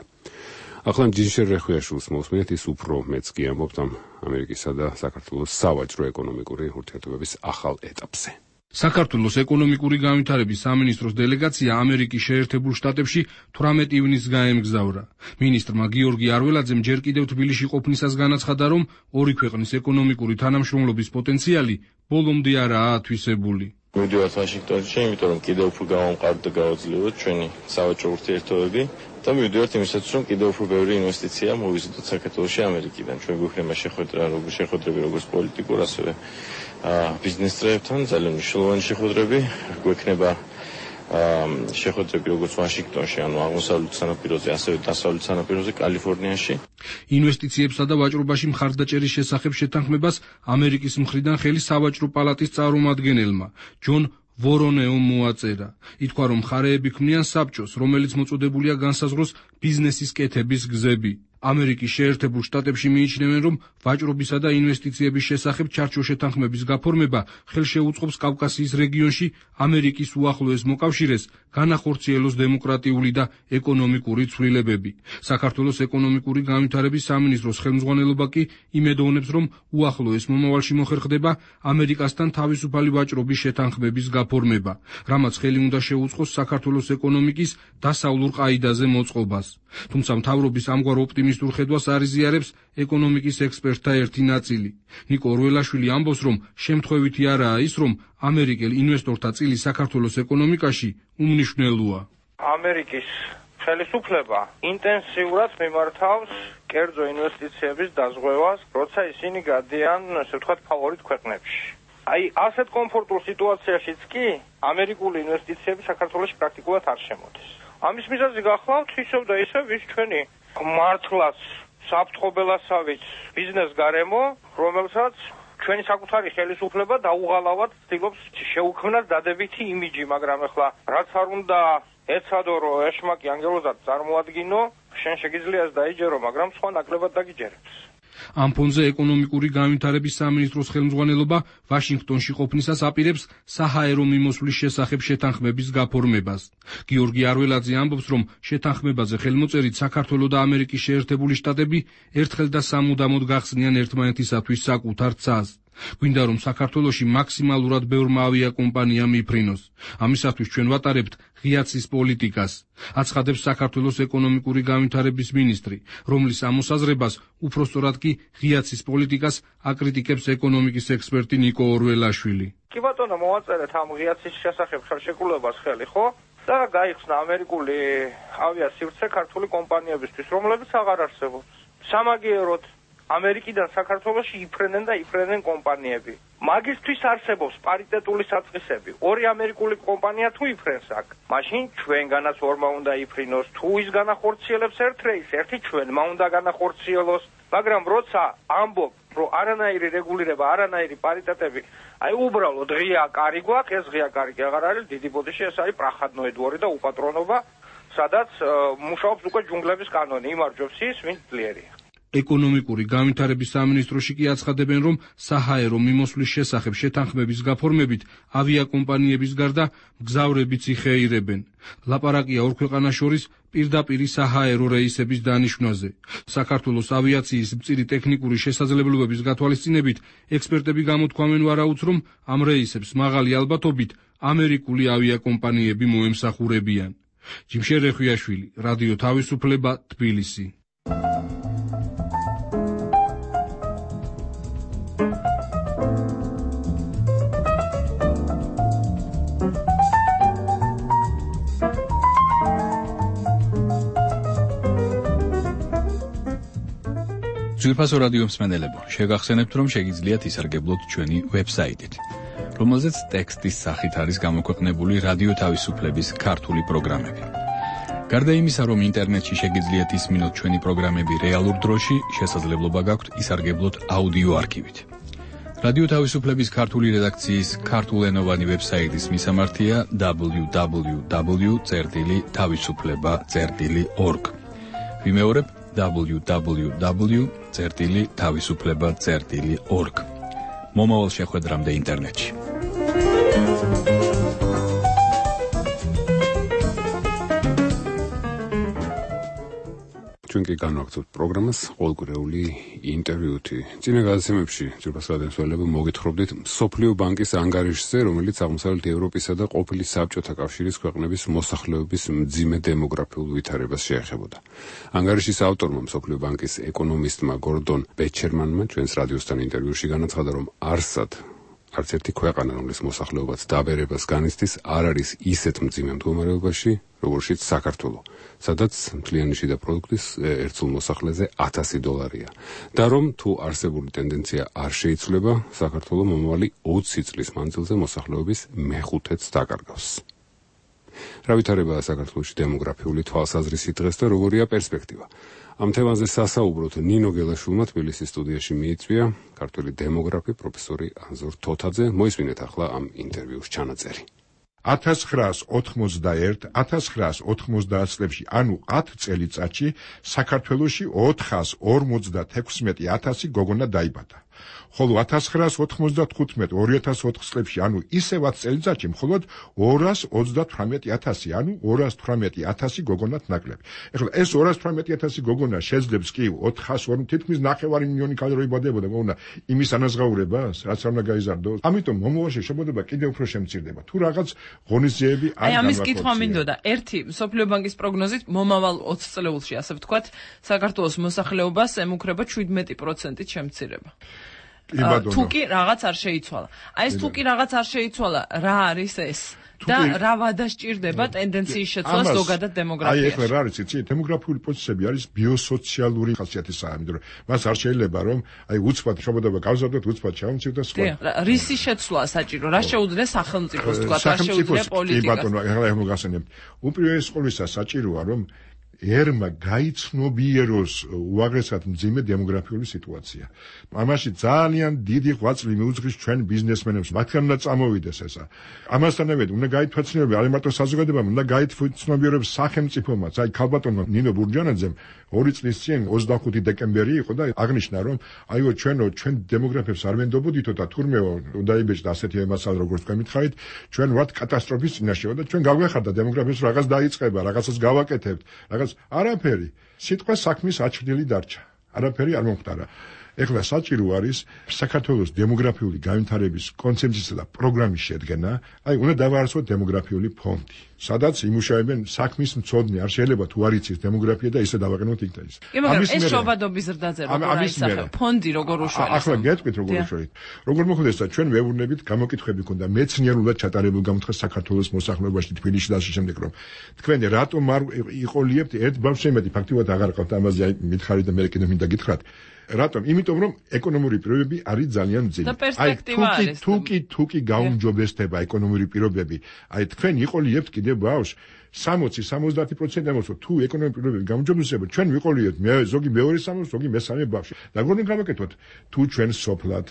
ახლა ჯინშერ რეხვიაშვილს მოვსმინეთ, ის უფრო მეც კი ამბობთ ამ ამერიკისა და საქართველოს სავაჭრო ეკონომიკური ურთიერთობების ახალ ეტაპზე. საქართველოს ეკონომიკური განვითარების სამინისტროს დელეგაცია ამერიკის შეერთებულ შტატებში თვრამეტ ივნისს გაემგზავრა. მინისტრმა გიორგი არველაძემ ჯერ კიდევ თბილისში ყოფნისას განაცხადა, რომ ორი ქვეყნის ეკონომიკური თანამშრომლობის პოტენციალი ბოლომდე არაა ათვისებული. მივდივართ ვაშინგტონში, იმიტომ რომ კიდევ უფრო გავამყაროთ და გავაძლიეროთ ჩვენი სავაჭრო ურთიერთობები და მივდივართ იმისათვის, რომ კიდევ უფრო ბევრი ინვესტიცია მოვიზიდოთ საქართველოში ამერიკიდან. ჩვენ გვექნება შეხვედრა, როგორც შეხვედრები, როგორც პოლიტიკურ, ასევე ბიზნეს წრეებთან, ძალიან მნიშვნელოვანი შეხვედრები. გვექნება შეხვედრები როგორც ვაშინგტონში, ანუ აღმოსავლეთ სანაპიროზე, ასევე დასავლეთ სანაპიროზე, კალიფორნიაში. ინვესტიციებსა და ვაჭრობაში მხარდაჭერის შესახებ შეთანხმებას ამერიკის მხრიდან ხელი სავაჭრო პალატის წარმომადგენელმა ჯონ ვორონეომ მოაწერა. ითქვა, რომ მხარეები ქმნიან საბჭოს, რომელიც მოწოდებულია განსაზღვროს ბიზნესის კეთების გზები. ამერიკის შეერთებულ შტატებში მიიჩნევენ, რომ ვაჭრობისა და ინვესტიციების შესახებ ჩარჩო შეთანხმების გაფორმება ხელშეუწყობს კავკასიის რეგიონში ამერიკის უახლოეს მოკავშირეს განახორციელოს დემოკრატიული და ეკონომიკური ცვლილებები. საქართველოს ეკონომიკური განვითარების სამინისტროს ხელმძღვანელობა კი იმედოვნებს, რომ უახლოეს მომავალში მოხერხდება ამერიკასთან თავისუფალი ვაჭრობის შეთანხმების გაფორმება, რამაც ხელი უნდა შეუწყოს საქართველოს ეკონომიკის დასავლურ ყაიდაზე მოწყობას. თუმცა მთავრობის ამგვარ ოპტიმისტურ ხედვას არ იზიარებს ეკონომიკის ექსპერტთა ერთი ნაწილი. ნიკო ორველაშვილი ამბობს, რომ შემთხვევითი არაა ის, რომ ამერიკელ ინვესტორთა წილი საქართველოს ეკონომიკაში უმნიშვნელოა. ამერიკის ხელისუფლება ინტენსიურად მიმართავს კერძო ინვესტიციების დაზღვევას, როცა ისინი გადიან, ასე ვთქვათ, ფავორიტ ქვეყნებში. აი, ასეთ კომფორტულ სიტუაციაშიც კი ამერიკული ინვესტიციები საქართველოში პრაქტიკულად არ შემოდის. ამის მიზეზი გახლავთ ისევ და ისევ ვის ჩვენი მართლაც საფრთხობელასავით ბიზნეს გარემო, რომელსაც ჩვენი საკუთარი ხელისუფლება დაუღალავად ცდილობს შეუქმნას დადებითი იმიჯი, მაგრამ ახლა რაც არ უნდა ეცადო, რომ ეშმაკი ანგელოზად წარმოადგინო, შენ შეგიძლიას დაიჯერო, მაგრამ სხვა ნაკლებად დაგიჯერებს. ამ ფონზე ეკონომიკური განვითარების სამინისტროს ხელმძღვანელობა ვაშინგტონში ყოფნისას აპირებს საჰაერო მიმოსვლის შესახებ შეთანხმების გაფორმებას. გიორგი არველაძე ამბობს, რომ შეთანხმებაზე ხელმოწერით საქართველო და ამერიკის შეერთებული შტატები ერთხელ და სამუდამოდ გახსნიან ერთმანეთისათვის საკუთარ ცას. გვინდა რომ საქართველოში მაქსიმალურად ბევრმა ავიაკომპანია მიფრინოს. ამისათვის ჩვენ ვატარებთ ღიაცის პოლიტიკას, აცხადებს საქართველოს ეკონომიკური განვითარების მინისტრი, რომლის ამოსაზრებას უпроსტორად კი ღიაცის პოლიტიკას აკრიტიკებს ეკონომიკის ექსპერტი ნიკო ორველაშვილი. კი ბატონო, მოვაწერეთ ამ ღიაცის შესახებ ხელშეკრულებას ხელი, ხო? და გაიხსნა ამერიკული ავიასივრცე ქართული კომპანიებისთვის, რომლებიც აღარ არსებობს. სამაგიეროდ ამერიკიდან საქართველოში იფრენენ და იფრენენ კომპანიები. მაგისთვის არსებობს პარიტეტული საწყისები. ორი ამერიკული კომპანია თუ იფრენს აქ, მაშინ ჩვენგანაც ორმა უნდა იფრინოს. თუ ის განახორციელებს ერთ რეისს, ერთი ჩვენმა უნდა განახორციელოს. მაგრამ როცა ამბობ, რომ არანაირი რეგულირება, არანაირი პარიტეტები, აი უბრალოდ ღია კარი გვაქვს, ეს ღია კარი კი აღარ არის, დიდი ბოდიში, ეს არის პრახადნოე დვორი და უპატრონობა, სადაც მუშაობს უკვე ჯუნგლების კანონი, იმარჯვებს ის, ვინც ძლიერია. ეკონომიკური განვითარების სამინისტროში კი აცხადებენ, რომ საჰაერო მიმოსვლის შესახებ შეთანხმების გაფორმებით ავიაკომპანიების გარდა მგზავრებიც იხეირებენ. ლაპარაკია ორ ქვეყანას შორის პირდაპირ საჰაერო რეისების დანიშვნაზე. საქართველოს ავიაციის მწირი ტექნიკური შესაძლებლობების გათვალისწინებით ექსპერტები გამოთქვამენ ვარაუდს, რომ ამ რეისებს მაღალი ალბათობით ამერიკული ავიაკომპანიები მოემსახურებიან. ჯიმშერ რეხვიაშვილი, რადიო თავისუფლება, თბილისი. ძვირფასო რადიო მსმენელებო, შეგახსენებთ, რომ შეგიძლიათ ისარგებლოთ ჩვენი ვებსაიტით, რომელზეც ტექსტის სახით არის გამოქვეყნებული რადიო თავისუფლების ქართული პროგრამები. გარდა იმისა, რომ ინტერნეტში შეგიძლიათ ისმინოთ ჩვენი პროგრამები რეალურ დროში, შესაძლებლობა გაქვთ ისარგებლოთ აუდიო არქივით. რადიო თავისუფლების ქართული რედაქციის ქართულენოვანი ვებსაიტის მისამართია დაბლიუ დაბლიუ დაბლიუ წერტილი თავისუფლება წერტილი ორგ. ვიმეორებ დაბლიუ დაბლიუ დაბლიუ წერტილი თავისუფლება წერტილი ორგ. მომავალ შეხვედრამდე ინტერნეტში. ჩვენ კი განვაგრძობთ პროგრამას ყოველკვირეული ინტერვიუთი. წინა გადაცემებში ძვირფას რადიოსმენელები მოგითხრობდით მსოფლიო ბანკის ანგარიშზე, რომელიც აღმოსავლეთ ევროპისა და ყოფილი საბჭოთა კავშირის ქვეყნების მოსახლეობის მძიმე დემოგრაფიულ ვითარებას შეეხებოდა. ანგარიშის ავტორმა, მსოფლიო ბანკის ეკონომისტმა გორდონ ბეჩერმანმა ჩვენს რადიოსთან ინტერვიუში განაცხადა, რომ არსად არც ერთი ქვეყანა, რომლის მოსახლეობაც დაბერებას განიცდის, არ არის ისეთ მძიმე მდგომარეობაში, როგორშიც საქართველო, სადაც მთლიანი შიდა პროდუქტის ერთსულ მოსახლეზე ათასი დოლარია. და რომ თუ არსებული ტენდენცია არ შეიცვლება, საქართველო მომავალი ოცი წლის მანძილზე მოსახლეობის მეხუთედს დაკარგავს. რა ვითარებაა საქართველოში დემოგრაფიული თვალსაზრისით დღეს და როგორია პერსპექტივა? ამ თემაზე სასაუბროთ ნინო გელაშვილმა თბილისის სტუდიაში მიიწვია ქართველი დემოგრაფი პროფესორი ანზორ თოთაძე. მოისმინეთ ახლა ამ ინტერვიუს ჩანაწერი. ათას ცხრაას ოთხმოცდაერთ ათას ცხრაას ოთხმოცდაათ წლებში, ანუ ათ წელიწადში საქართველოში ოთხას ორმოცდათექვსმეტი ათასი გოგონა დაიბადა. ხოლო ათას ცხრაას ოთხმოცდათხუთმეტ ორი ათას ოთხ წლებში, ანუ ისევ ათ წელიწადში მხოლოდ ორას ოცდათვრამეტი ათასი, ანუ ორას თვრამეტი ათასი გოგონათ ნაკლები. ეხლა ეს ორას თვრამეტი ათასი გოგონა შეძლებს კი ოთხას ორ თითქმის ნახევარი მილიონი ქალი რო იბადებოდა, მოუნა იმის ანაზღაურებას, რაც არ უნდა გაიზარდოს. ამიტომ მომავალში შემოდება კიდევ უფრო შემცირდება. თუ რაღაც ღონისძიებები არ აი ამის კითხვა მინდოდა. ერთი მსოფლიო ბანკის პროგნოზით მომავალ ოც წლეულში, ასე ვთქვათ, საქართველოს მოსახლეობას ემუქრება შვიდმეტი პროცენტით შემცირება. თუ კი რაღაც არ შეიცვალა. აი ეს თუ კი რაღაც არ შეიცვალა, რა არის ეს? და რა ვადასჭირდება ტენდენციის შეცვლა ზოგადად დემოგრაფიაში. აი ეხლა რა არის იცი, დემოგრაფიული პროცესები არის ბიოსოციალური ხასიათისაა, იმიტომ რომ მას არ შეიძლება რომ აი უცბად შრომობა გავზარდოთ, უცბად ჩავმცირდეთ და სხვა. რისი შეცვლა საჭირო? რა შეუძლია სახელმწიფოს თქვა, რა შეუძლია პოლიტიკას? კი ბატონო, ეხლა ეხლა გასცემთ. უპირველეს ყოვლისა საჭიროა რომ ერმა გაიცნობიეროს უაღრესად მძიმე დემოგრაფიული სიტუაცია. ამაში ძალიან დიდი ღვაწლი მიუძღვის ჩვენ ბიზნესმენებს, მათგან უნდა წამოვიდეს ესა. ამასთანავე უნდა გაითვალისწინებინა არა მარტო საზოგადოებამ, უნდა გაითვალისწინებინა სახელმწიფომაც. აი ქალბატონმა ნინო ბურჯანაძემ ორი წლის წინ ოცდახუთი დეკემბერი იყო და აღნიშნა რომ აიო ჩვენო ჩვენ დემოგრაფებს არ ვენდობოდითო და თურმეო უნდა იბეჭდა ასეთი მასალა როგორც თქვენ მითხარით, ჩვენ ვართ კატასტროფის წინაშეო და ჩვენ გავგვეხარდა დემოგრაფებს რაღაც დაიწყება, რაღაცას გავაკეთებთ, რაღაც არაფერი. სიტყვა საქმის აჩრდილი დარჩა. არაფერი არ მომხდარა. ეხლა საჭირო არის საქართველოს დემოგრაფიული განვითარების კონცეფციისა და პროგრამის შედგენა, აი უნდა დავაარსოთ დემოგრაფიული ფონდი, სადაც იმუშავებენ საქმის მცოდნე, არ შეიძლება თუ არ იცის დემოგრაფია და ისე დავაყენოთ იქ და ის. ამის ეს შობადობის ზრდაზე როგორ აისახება? ფონდი როგორ უშველებს? ახლა გეტყვით როგორ უშველით. როგორ მოხდეს და ჩვენ ვეუბნებით გამოკითხები ქონდა მეცნიერულად ჩატარებულ გამოთხას საქართველოს მოსახლეობაში თბილისში და ასე შემდეგ რომ თქვენ რატომ არ იყოლიებთ ერთ ბავშვს შემედი ფაქტიურად აღარ ყავთ ამაზე აი მითხარით და მე კიდე მინდა გითხრათ. რატომ? იმიტომ რომ ეკონომური პირობები არის ძალიან მძიმე. აი თუკი თუკი თუკი გაუმჯობესდება ეკონომური პირობები, აი თქვენ იყოლიებთ კიდე ბავშვს სამოცი სამოცდაათი პროცენტი ამოსო თუ ეკონომიკური პირობები გაუმჯობესდება, ჩვენ ვიყოლიებთ მე ზოგი მეორე სამოცი, ზოგი მესამე ბავშვი. და როგორ გავაკეთოთ? თუ ჩვენ სოფლად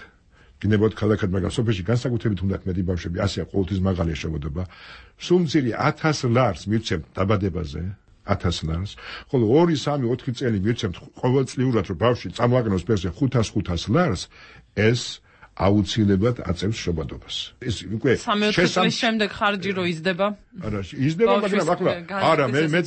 გინებოთ ქალაქად, მაგრამ სოფელში განსაკუთრებით უნდათ მეტი ბავშვები, ასე ყოველთვის მაღალი შეშობოდება. სულ მცირე ათას ლარს მივცემთ დაბადებაზე. ათას ლარს, ხოლო ორი, სამი, ოთხი წელი მივცემთ ყოველწლიურად რომ ბავშვი წამოაგნოს ფერზე ხუთას ხუთას ლარს, ეს აუცილებლად აწევს შობადობას. ეს უკვე სამი-ოთხი წლის შემდეგ ხარჯი რო იზრდება? არა, იზრდება, მაგრამ ახლა არა, მე მე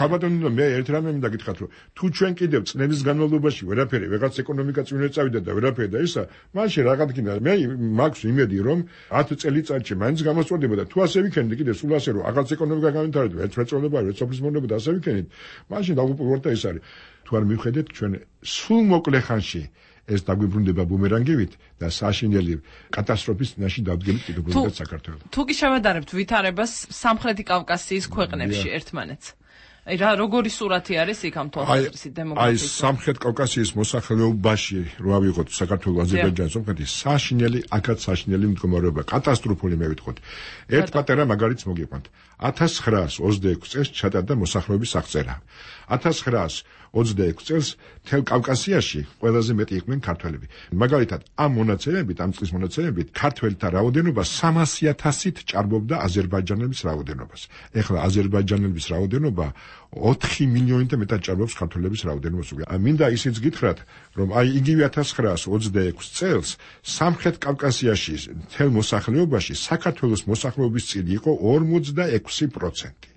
გაბატონო მე ერთ რამე მინდა გითხრათ, რომ თუ ჩვენ კიდევ წლების განმავლობაში ვერაფერი, ვიღაც ეკონომიკა წინ ვერ წავიდა და ვერაფერი და ისა, მაშინ რაღაც გინდა, მე მაქვს იმედი, რომ ათი წელიწადში მაინც გამოსწორდება და თუ ასე ვიქენდი კიდევ სულ ასე რომ აღარც ეკონომიკა განვითარდება, ერთ მეწონება, ერთ სოფლის მონება და ასე ვიქენით, მაშინ დაუპირველად ეს არის. თუ არ მივხედეთ ჩვენ სულ მოკლე ხანში ეს დაგვიბრუნდება ბუმერანგივით და საშინელი კატასტროფის წინაშე დავდგენთ კიდევ საქართველოს. თუ კი შევადარებთ ვითარებას სამხრეთი კავკასიის ქვეყნებში ერთმანეთს. აი რა როგორი სურათი არის იქ ამ თვალსაზრისით დემოგრაფიის? აი სამხრეთ კავკასიის მოსახლეობაში რო ავიღოთ საქართველოს, აზერბაიჯანის, სომხეთის საშინელი, აქაც საშინელი მდგომარეობა, კატასტროფული მე ვიტყოდ. ერთ პატარა მაგალითს მოგიყვანთ. ათას ცხრაას ოცდაექვსი წელს ჩატარდა მოსახლეობის აღწერა. ათას ცხრაას ოცდაექვსი წელს მთელ კავკასიაში ყველაზე მეტი იყვნენ ქართველები. მაგალითად, ამ მონაცემებით, ამ წლის მონაცემებით, ქართველთა რაოდენობა სამასი ათასით ჭარბობდა აზერბაიჯანელების რაოდენობას. ეხლა აზერბაიჯანელების რაოდენობა ოთხი მილიონით მეტად ჭარბობს ქართველების რაოდენობას. მინდა ისიც გითხრათ, რომ აი იგივე ათას ცხრაას ოცდაექვსი წელს სამხრეთ კავკასიაში მთელ მოსახლეობაში საქართველოს მოსახლეობის წილი იყო ორმოცდაექვსი პროცენტი.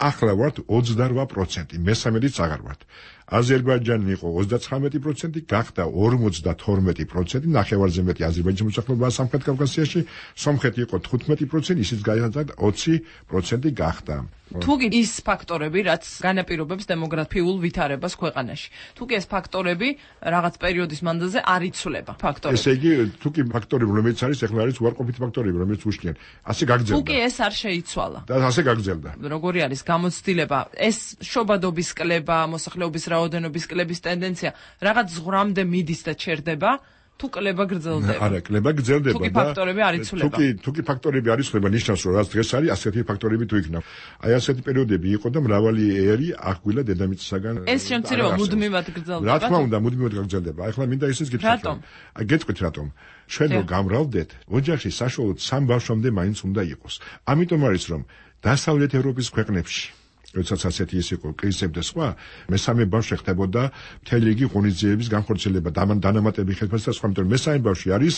ახლა ვართ ოცდარვა პროცენტი, მესამედიც აღარ ვართ. აზერბაიჯანი იყო ოცდაცხრამეტი პროცენტი, გახდა ორმოცდათორმეტი პროცენტი, ნახევარზე მეტი აზერბაიჯანის მოსახლეობაა სამხრეთ კავკასიაში, სომხეთი იყო თხუთმეტი პროცენტი, ისიც გაიზარდა ოცი პროცენტი გახდა. თუ კი ის ფაქტორები, რაც განაპირობებს დემოგრაფიულ ვითარებას ქვეყანაში. თუ კი ეს ფაქტორები რაღაც პერიოდის მანძილზე არ იცვლება ფაქტორები. ესე იგი, თუ კი ფაქტორები რომელიც არის, ეხლა არის უარყოფითი ფაქტორები, რომელიც უშლიან. ასე გაგრძელდა. თუ კი ეს არ შეიცვალა. და ასე გაგრძელდა. როგორი არის გამოცდილება? ეს შობადობის კლება, მოსახლეობის რაოდენობის კლების ტენდენცია რაღაც ზღვრამდე მიდის და ჩერდება? თუ კლება გრძელდება. არა, კლება გრძელდება და თუ კი ფაქტორები არ იცვლება. თუ კი თუ კი ფაქტორები არ იცვლება, ნიშნავს რომ რაც დღეს არის, ასეთი ფაქტორები თუ იქნება. აი ასეთი პერიოდები იყო და მრავალი ერი აღგვილა დედამიწისაგან. ეს შემცირება მუდმივად გრძელდება. რა თქმა უნდა, მუდმივად გრძელდება. ახლა მინდა ისიც გითხრათ. რატომ? აი გეტყვით რატომ? ჩვენ რო გამრავლდეთ, ოჯახში საშუალოდ სამ ბავშვამდე მაინც უნდა იყოს. ამიტომ არის რომ დასავლეთ ევროპის ქვეყნებში როდესაც ასეთი ის იყო კრიზისები და სხვა, მესამე ბავშვი ხდებოდა მთელი რიგი ღონისძიებების განხორციელება, დანამატები ხელფასი და სხვა, იმიტომ რომ მესამე ბავშვი არის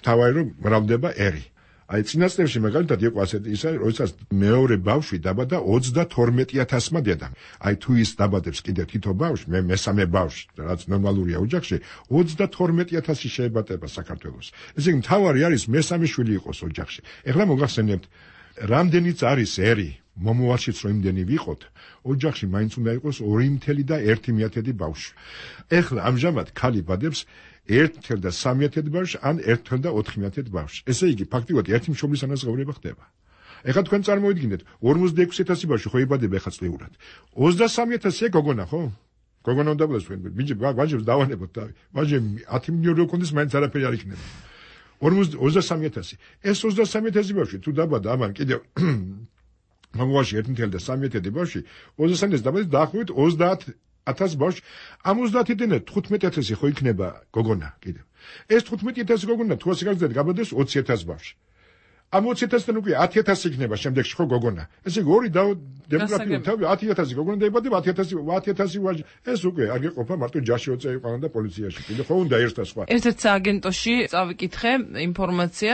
მთავარი რომ მრავლდება ერი. აი წინა წლებში მაგალითად იყო ასეთი ისა, როდესაც მეორე ბავშვი დაბადა ოცდათორმეტი ათასმა დედამ. აი თუ ის დაბადებს კიდევ თითო ბავშვი, მე მესამე ბავშვი, რაც ნორმალურია ოჯახში, ოცდათორმეტი ათასი შეებატება საქართველოს. ესე იგი მთავარი არის მესამე შვილი იყოს ოჯახში. ეხლა მოგახსენებთ, რამდენიც არის ერი მომავალშიც რომ იმდენი ვიყოთ, ოჯახში მაინც უნდა იყოს ორი მთელი და ერთი მეათედი ბავშვი. ეხლა ამჟამად ქალი ბადებს ერთ მთელ და სამი ათედი ბავშვი ან ერთ მთელ და ოთხი მეათედი ბავშვი. ესე იგი ფაქტიურად ერთი მშობლის ანაზღაურება ხდება. ეხლა თქვენ წარმოიდგინეთ ორმოცდაექვსი ათასი ბავშვი ხო იბადება ეხლა წლიურად. ოცდასამი ათასია გოგონა ხო? გოგონა უნდა ბლეს თქვენ. ბიჭი ბაჟებს დავანებოთ თავი. ბაჟები ათი მილიონი როკონდეს მაინც არაფერი არ იქნება. ოცდასამი ათასი. ეს ოცდასამი ათასი ბავშვი თუ დაბადა ამან კიდევ მაგაში ერთი და სამი ათასი ბავშვი ოცდასამი ათასი დაბადა დაახლოებით ოცდაათი ათასი ბავშვი ამ ოცდაათიდან თხუთმეტი ათასი ხო იქნება გოგონა კიდევ. ეს თხუთმეტი ათასი გოგონა თუ ასე გაგზავნეთ გაბადეს ოცი ათასი ბავშვი. ამ ოცი ათასიდან უკვე ათი ათასი იქნება შემდეგში ხო გოგონა. ესე იგი ორი დემოგრაფიული თავი ათი ათასი გოგონა დაიბადება ათი ათასი ათი ათასი ვაჟი. ეს უკვე არ გეყოფა მარტო ჯაში ოწეიყვანა და პოლიციაში. კიდე ხო უნდა ერთად სხვა. ერთ-ერთ სააგენტოში წავიკითხე ინფორმაცია,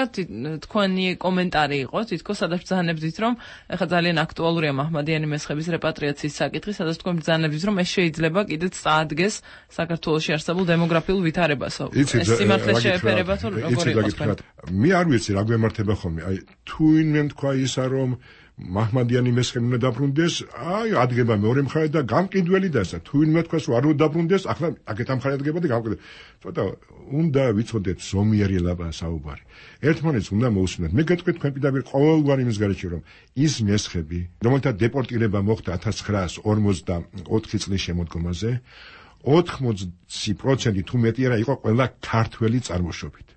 თქვენი კომენტარი იყო, თითქოს სადაც ბრძანებდით, რომ ეხლა ძალიან აქტუალურია მაჰმადიანი მესხების რეპატრიაციის საკითხი, სადაც თქვენ ბრძანებდით, რომ ეს შეიძლება კიდეც წაადგეს საქართველოში არსებულ დემოგრაფიულ ვითარებასო. ეს სიმართლეს შეეფერება თუ როგორ იყოს თქვენ? მე არ ვიცი რა გვემართება ხოლმე. აი თუ ინმე თქვა ისა რომ მაჰმადიანი მესხები უნდა დაბრუნდეს, აი ადგება მეორე მხარე და გამყიდველი და ესა თუ ინმე თქვას რომ არ უნდა დაბრუნდეს, ახლა აქეთ ამ მხარე ადგება და გამყიდველი. ცოტა უნდა ვიცოდეთ ზომიერი ლაბა საუბარი. ერთმანეთს უნდა მოусმინოთ. მე გეტყვით თქვენ პირდაპირ ყოველგვარი იმის გარეშე რომ ის მესხები, რომელთა დეპორტირება მოხდა ათას ცხრაას ორმოცდაოთხი წლის შემოდგომაზე, ოთხმოცი პროცენტი თუ მეტი არა იყო ყველა ქართველი წარმოშობით.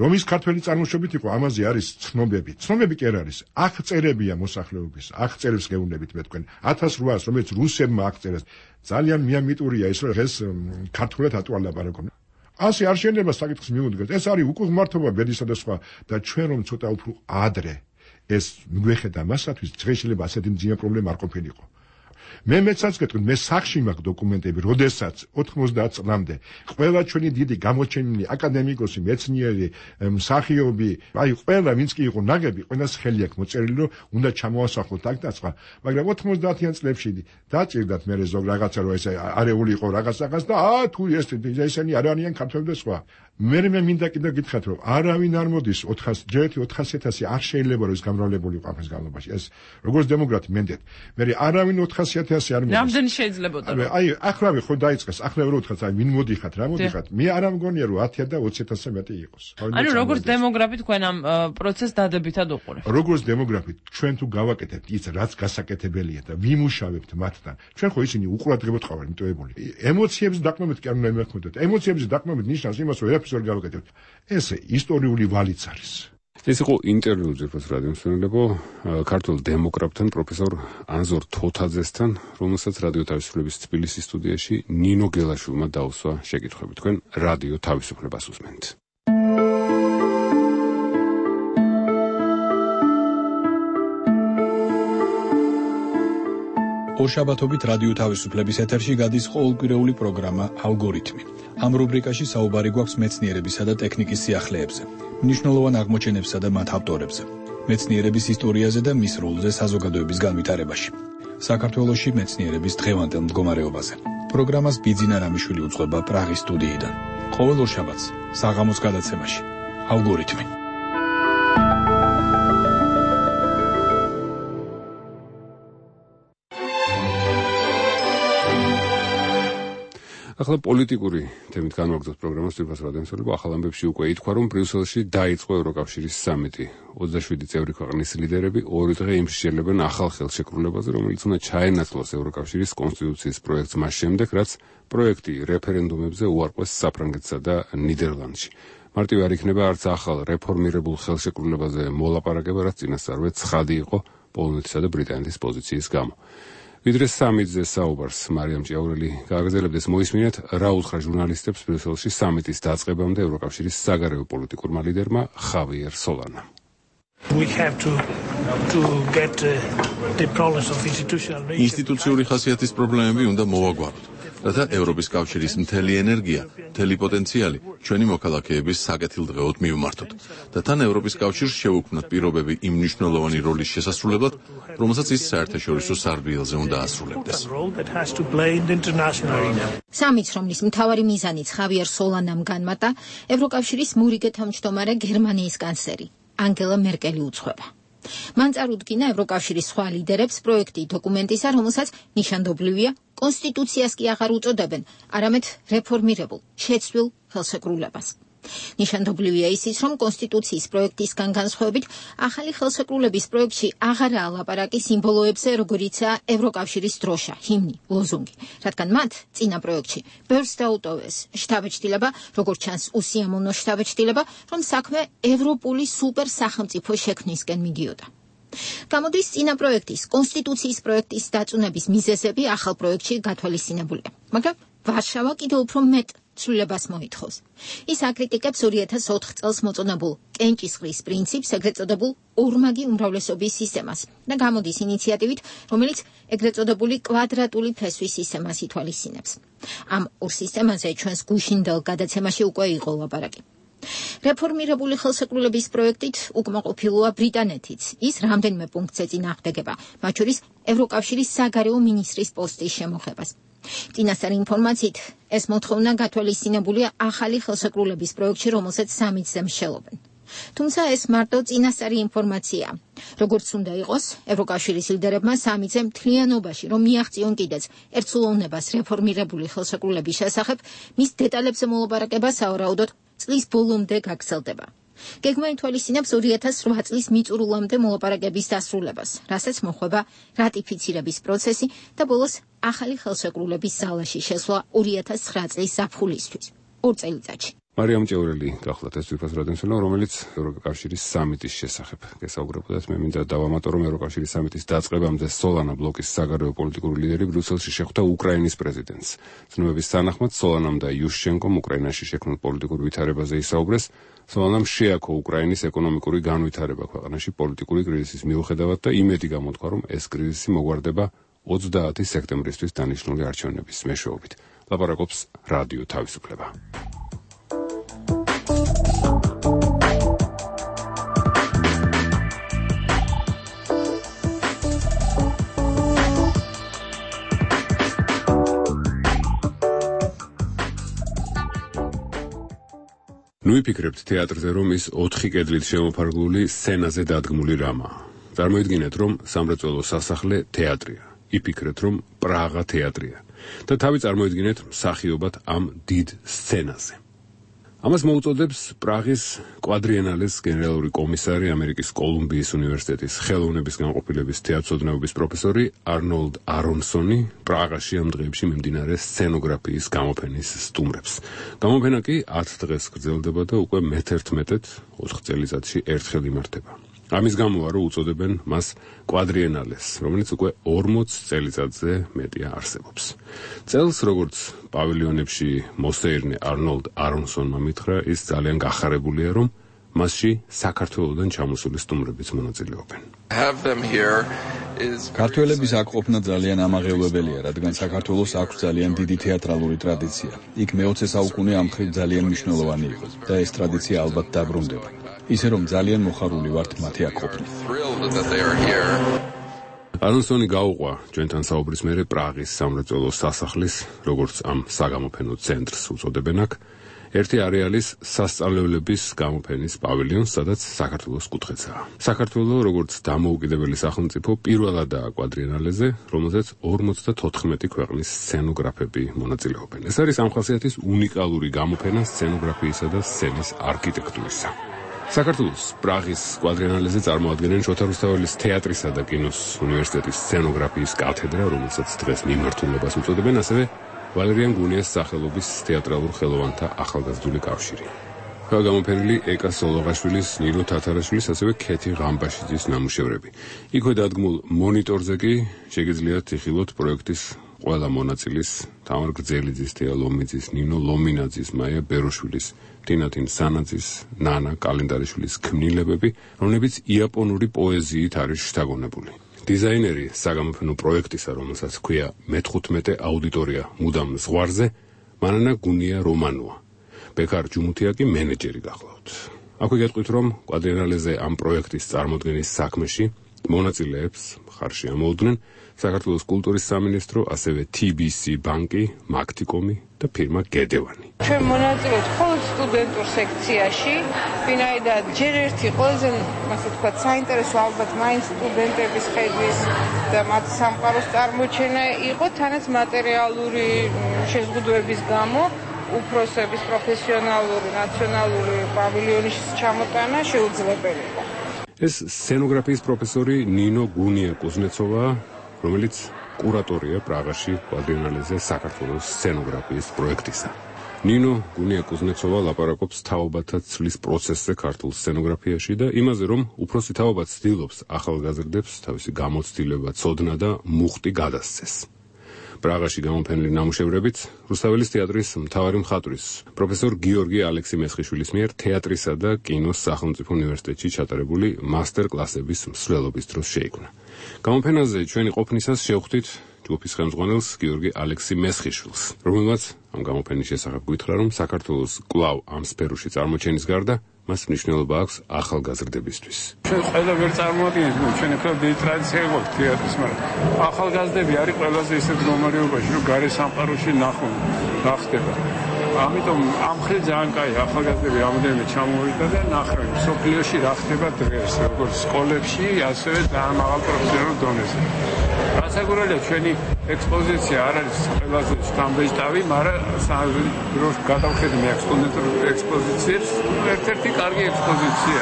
რომ ის ქართველი წარმოშობით იყო, ამაზე არის ცნობები. ცნობები კი არ არის. აღწერებია მოსახლეობის, აღწერებს გეუბნებით მე თქვენ. ათას რვაას რომელიც რუსებმა აღწერეს, ძალიან მიამიტურია ის რომ ეს ქართულად ატვალ ლაპარაკობ. ასე არ შეიძლება საკითხს მიუდგეთ. ეს არის უკუღმართობა ბედისა და სხვა და ჩვენ რომ ცოტა უფრო ადრე ეს მიგვეხედა მასათვის, დღეს შეიძლება ასეთი მძიმე პრობლემა არ ყოფილიყო. მე მეცაც გეტყვით, მე სახში მაქვს დოკუმენტები, როდესაც ოთხმოცდაათ წლამდე ყველა ჩვენი დიდი გამოჩენილი აკადემიკოსი, მეცნიერი, მსახიობი, აი ყველა ვინც კი იყო ნაგები, ყველას ხელი აქვს მოწერილი, რომ უნდა ჩამოასახლოთ აქ და სხვა, მაგრამ ოთხმოცდაათიან წლებში დაჭირდათ მე ზოგ რაღაცა რომ ეს არეული იყო რაღაც რაღაც და აა თუ ეს ესენი არ არიან ქართველი და სხვა. მე მე მინდა კიდევ გითხრათ, რომ არავინ არ მოდის ოთხასი ჯერ ოთხასი ათასი არ შეიძლება რომ ეს გამრავლებული იყო ამის განმავლობაში. ეს როგორც დემოგრაფი მენდეთ. მე არავინ ოთხასი ათასი არ მოდის. რამდენი შეიძლებოდა რომ? აი, ახლა ხო დაიწყეს, ახლა რო ვთქვათ, აი, ვინ მოდიხათ, რა მოდიხათ? მე არ ამგონია რომ ათი და ოცი ათასი მეტი იყოს. ანუ როგორც დემოგრაფი თქვენ ამ პროცესს დადებითად უყურებთ. როგორც დემოგრაფი, ჩვენ თუ გავაკეთებთ ის, რაც გასაკეთებელია და ვიმუშავებთ მათთან, ჩვენ ხო ისინი უყურადღებოდ ყავართ მიტოვებული. ემოციების დაყრდნობით კი არ უნდა იმეხმოდეთ. ემოციების დაყრდნობით ნიშნავს იმას, რომ ვერაფერს ვერ გავაკეთებთ. ეს ისტორიული ვალიც არის. ეს იყო ინტერვიუ ძირფას რადიომსმენელებო ქართულ დემოგრაფთან პროფესორ ანზორ თოთაძესთან, რომელსაც რადიო თავისუფლების თბილისის სტუდიაში ნინო გელაშვილმა დაუსვა შეკითხვები. თქვენ რადიო თავისუფლებას უსმენთ. ორშაბათობით რადიო თავისუფლების ეთერში გადის ყოველკვირეული პროგრამა ალგორითმი. ამ რუბრიკაში საუბარი გვაქვს მეცნიერებისა და ტექნიკის სიახლეებზე, მნიშვნელოვან აღმოჩენებსა და მათ ავტორებზე, მეცნიერების ისტორიაზე და მის როლზე საზოგადოების განვითარებაში, საქართველოში მეცნიერების დღევანდელ მდგომარეობაზე. პროგრამას ბიძინა რამიშვილი უძღვება პრაღის სტუდიიდან. ყოველ ორშაბათს საღამოს გადაცემაში ალგორითმი. ახლა პოლიტიკური თემით განვაგრძოთ პროგრამას ძირფას რადიომსმენელებო. ახალ ამბებში უკვე ითქვა, რომ ბრიუსელში დაიწყო ევროკავშირის სამიტი. ოცდაშვიდი წევრი ქვეყნის ლიდერები ორი დღე იმსჯელებენ ახალ ხელშეკრულებაზე, რომელიც უნდა ჩაენაცვლოს ევროკავშირის კონსტიტუციის პროექტს მას შემდეგ, რაც პროექტი რეფერენდუმებზე უარყვეს საფრანგეთსა და ნიდერლანდში. მარტივი არ იქნება არც ახალ რეფორმირებულ ხელშეკრულებაზე მოლაპარაკება, რაც წინასწარვე ცხადი იყო პოლონეთისა და ბრიტანეთის პოზიციის გამო. ვიდრე სამიტზე საუბარს მარიამ ჭიაურელი გააგრძელებდეს, მოისმინეთ რა უთხრა ჟურნალისტებს ბრიუსელში სამიტის დაწყებამდე ევროკავშირის საგარეო პოლიტიკურმა ლიდერმა ხავიერ სოლანამ. ინსტიტუციური ხასიათის პრობლემები უნდა მოვაგვაროთ, რათა ევროპის კავშირის მთელი ენერგია, მთელი პოტენციალი ჩვენი მოქალაქეების საკეთილდღეოდ მივმართოთ და თან ევროპის კავშირს შევუქმნათ პირობები იმ მნიშვნელოვანი როლის შესასრულებლად, რომელსაც ის საერთაშორისო სარბიელზე უნდა ასრულებდეს. სამიტს, რომლის მთავარი მიზანიც ხავიერ სოლანამ განმარტა, ევროკავშირის მურიგე თავმჯდომარე გერმანიის კანცლერი ანგელა მერკელი უძღვება. მან წარუდგინა ევროკავშირის სხვა ლიდერებს პროექტი დოკუმენტისა, რომელსაც ნიშანდობლივია კონსტიტუციას კი აღარ უწოდებენ, არამედ რეფორმირებულ, შეცვლილ ხელშეკრულებას. ნიშანდობლივია ისიც, რომ კონსტიტუციის პროექტისგან განსხვავებით, ახალი ხელშეკრულების პროექტში აღარაა ლაპარაკი სიმბოლოებზე, როგორიცაა ევროკავშირის დროშა, ჰიმნი, ლოზუნგი, რადგან მათ წინა პროექტში ბევრს დაუტოვეს შთაბეჭდილება, როგორც ჩანს უსიამოვნო შთაბეჭდილება, რომ საქმე ევროპული სუპერ სახელმწიფო შექმნისკენ მიდიოდა. გამოდის წინა პროექტის, კონსტიტუციის პროექტის დაწუნების მიზეზები ახალ პროექტში გათვალისწინებულია, მაგრამ ვარშავა კიდევ უფრო მეტ ცვლილებას მოითხოვს. ის აკრიტიკებს ორი ათას ოთხ წელს მოწონებულ კენჭისყრის პრინციპს, ეგრეთ წოდებულ ორმაგი უმრავლესობის სისტემას და გამოდის ინიციატივით, რომელიც ეგრეთ წოდებული კვადრატული ფესვის სისტემას ითვალისწინებს. ამ ორ სისტემაზე ჩვენს გუშინდელ გადაცემაში უკვე იყო ლაპარაკი. რეფორმირებული ხელშეკრულების პროექტით უკმაყოფილოა ბრიტანეთიც. ის რამდენიმე პუნქტზე წინააღმდეგება, მათ შორის ევროკავშირის საგარეო მინისტრის პოსტის შემოღებას. წინასწარი ინფორმაციით, ეს მოთხოვნა გათვალისწინებულია ახალი ხელშეკრულების პროექტში, რომელსაც სამი-ძე მსჯელობენ. თუმცა ეს მარტო წინასწარი ინფორმაციაა. როგორც უნდა იყოს, ევროკავშირის ლიდერებმა სამი-ძე მთლიანობაში რომ მიაღწიონ კიდეც ერთსულოვნებას რეფორმირებული ხელშეკრულების შესახებ, მის დეტალებზე მოლაპარაკება სავარაუდოდ წლის ბოლომდე გაგრძელდება. გეგმა ითვალისწინებს ორი ათას რვა წლის მიწურულამდე მოლაპარაკების დასრულებას, რასაც მოჰყვება რატიფიცირების პროცესი და ბოლოს ახალი ხელშეკრულების ზალაში შესვლა ორი ათას ცხრა წლის ზაფხულისთვის, ორ წელიწადში. მარიამ ჭეურელი გახლავთ ეს ვიფას რადენსონო, რომელიც ევროკავშირის სამიტის შესახებ გესაუბრებოდათ. მე მინდა დავამატო, რომ ევროკავშირის სამიტის დაწყებამდე სოლანა ბლოკის საგარეო პოლიტიკური ლიდერი ბრიუსელში შეხვდა უკრაინის პრეზიდენტს. ცნობების თანახმად სოლანამ და იუშჩენკომ უკრაინაში შექმნილ პოლიტიკურ ვითარებაზე ისაუბრეს. სოლანამ შეაქო უკრაინის ეკონომიკური განვითარება ქვეყანაში პოლიტიკური კრიზისის მიუხედავად და იმედი გამოთქვა, რომ ეს კრიზისი მოგვარდება ოცდაათი სექტემბრისთვის დანიშნული არჩევნების მეშვეობით. ლაპარაკობს რადიო თავისუფლება. ნუ იფიქრებთ თეატრზე, რომ ის ოთხი კედლით შემოფარგლული სცენაზე დადგმული რამაა. წარმოიდგინეთ, რომ სამრეწველო სასახლე თეატრია. იფიქრეთ, რომ პრაღა თეატრია და თავი წარმოიდგინეთ მსახიობად ამ დიდ სცენაზე. ამას მოუწოდებს პრაღის კვადრიენალეს გენერალური კომისარი, ამერიკის კოლუმბიის უნივერსიტეტის ხელოვნების განყოფილების თეატროსწავლების პროფესორი არნოლდ არონსონი პრაღაში ამ დღეებში მიმდინარე სცენოგრაფიის გამოფენის სტუმრებს. გამოფენა კი ათ დღეს გრძელდება და უკვე მეთერთმეტედ ოთხ წელიწადში ერთხელ იმართება. ამის გამოა რომ უწოდებენ მას კვადრიენალეს, რომელიც უკვე ორმოც წელიწადზე მეტია არსებობს. წელს, როგორც პავილიონებში მოსეირნე არნოლდ არონსონმა მითხრა, ის ძალიან გახარებულია, რომ მასში საქართველოდან ჩამოსული სტუმრებიც მონაწილეობენ. ქართველების აქ ყოფნა ძალიან ამაღელვებელია, რადგან საქართველოს აქვს ძალიან დიდი თეატრალური ტრადიცია. იქ მეოცე საუკუნე ამ მხრივ ძალიან მნიშვნელოვანი იყო და ეს ტრადიცია ალბათ დაბრუნდება. ისე რომ ძალიან მოხარული ვართ მათი აქ ყოფნა. არონსონი გაუყვა ჩვენთან საუბრის მერე პრაღის სამრეწველო სასახლის, როგორც ამ საგამოფენო ცენტრს უწოდებენ აქ, ერთი არეალის სასწავლებლების გამოფენის პავილიონს, სადაც საქართველოს კუთხეცაა. საქართველო, როგორც დამოუკიდებელი სახელმწიფო, პირველადაა კვადრიენალეზე, რომელზეც ორმოცდათოთხმეტი ქვეყნის სცენოგრაფები მონაწილეობენ. ეს არის ამ ხასიათის უნიკალური გამოფენა სცენოგრაფიისა და სცენის არქიტექტურისა. საქართველოს პრაღის კვადრიენალეზე წარმოადგენენ შოთა რუსთაველის თეატრისა და კინოს უნივერსიტეტის სცენოგრაფიის კათედრა, რომელსაც დღეს მიმართულებას უწოდებენ, ასევე ვალერიან გუნიას სახელობის თეატრალურ ხელოვანთა ახალგაზრდული კავშირი. გამოფენილი ეკა სოლოღაშვილის, ნინო თათარაშვილის, ასევე ქეთი ღამბაშიძის ნამუშევრები. იქვე დადგმულ მონიტორზე კი შეგიძლიათ იხილოთ პროექტის ყველა მონაწილის, თამარ გრძელიძის, თეა ლომიძის, ნინო ლომინაძის, მაია ბეროშვილის, თინათინ სანაძის, ნანა კალენდარიშვილის ქმნილებები, რომლებიც იაპონური პოეზიით არის შთაგონებული. დიზაინერი საგამოფენო პროექტისა, რომელსაც ჰქვია მეთხუთმეტე აუდიტორია მუდამ ზღვარზე, მანანა გუნია რომანოა. ბექარ ჯუმუთია კი მენეჯერი გახლავთ. აქვე გეტყვით, რომ კვადრიენალეზე ამ პროექტის წარმოდგენის საქმეში მონაწილეებს მხარში ამოუდგნენ საქართველოს კულტურის სამინისტრო, ასევე თი ბი სი ბანკი, მაგთიკომი და ფირმა გედევანი. ჩვენ მონაწილეობთ მხოლოდ სტუდენტურ სექციაში, ვინაიდან ჯერ ერთი ყველაზე, ასე ვთქვათ, საინტერესო ალბათ მაინც სტუდენტების ხედვის და მათი სამყაროს წარმოჩენა იყო თანაც მატერიალური შეზღუდვების გამო. უფროსების პროფესიონალური ნაციონალური პავილიონის ჩამოტანა შეუძლებელი იყო. ეს სცენოგრაფიის პროფესორი ნინო გუნია კუზნეცოვა, რომელიც კურატორია პრაღაში კვადრინალეზე საქართველოს სცენოგრაფიის პროექტისა. ნინო გუნია კუზნეცოვა ლაპარაკობს თაობათა ცვლის პროცესზე ქართულ სცენოგრაფიაში და იმაზე, რომ უფროსი თაობა ცდილობს ახალგაზრდებს თავისი გამოცდილება, ცოდნა და მუხტი გადასცეს. პრაღაში გამოფენილი ნამუშევრებით რუსთაველის თეატრის მთავარი მხატვრის პროფესორ გიორგი ალექსი-მესხიშვილის მიერ თეატრისა და კინოს სახელმწიფო უნივერსიტეტში ჩატარებული მასტერ-კლასების მსვლელობის დროს შეიქმნა. გამოფენაზე ჩვენი ყოფნისას შევხვდით ჯგუფის ხელმძღვანელს გიორგი ალექსი-მესხიშვილს, რომელმაც ამ გამოფენის შესახებ გითხრა, რომ საქართველოს კვლავ ამ სფეროში წარმოჩენის გარდა მას მნიშვნელობა აქვს ახალგაზრდებისთვის. ჩვენ ყველა ვერ წარმოადგენთ, რომ ჩვენ ახლა დიდი ტრადიცია გვაქვს თეატრის, მაგრამ ახალგაზრდები არის ყველაზე ისეთ მდგომარეობაში, რომ გარე სამყაროში ნახონ, ნახდება. ამიტომ ამ ხელ ძალიან კაი ახალგაზრდები რამოდენიმე ჩამოვიდა და ნახავენ სოფლიოში რა ხდება დღეს, როგორც სკოლებში, ასევე ძალიან მაღალ პროფესიონალურ დონეზე. გასაგურელია ჩვენი ექსპოზიცია არ არის ყველაზე შთამბეჭდავი, მაგრამ დროს გადავხედე მე სტუდენტურ ექსპოზიციებს, ერთ-ერთი კარგი ექსპოზიცია.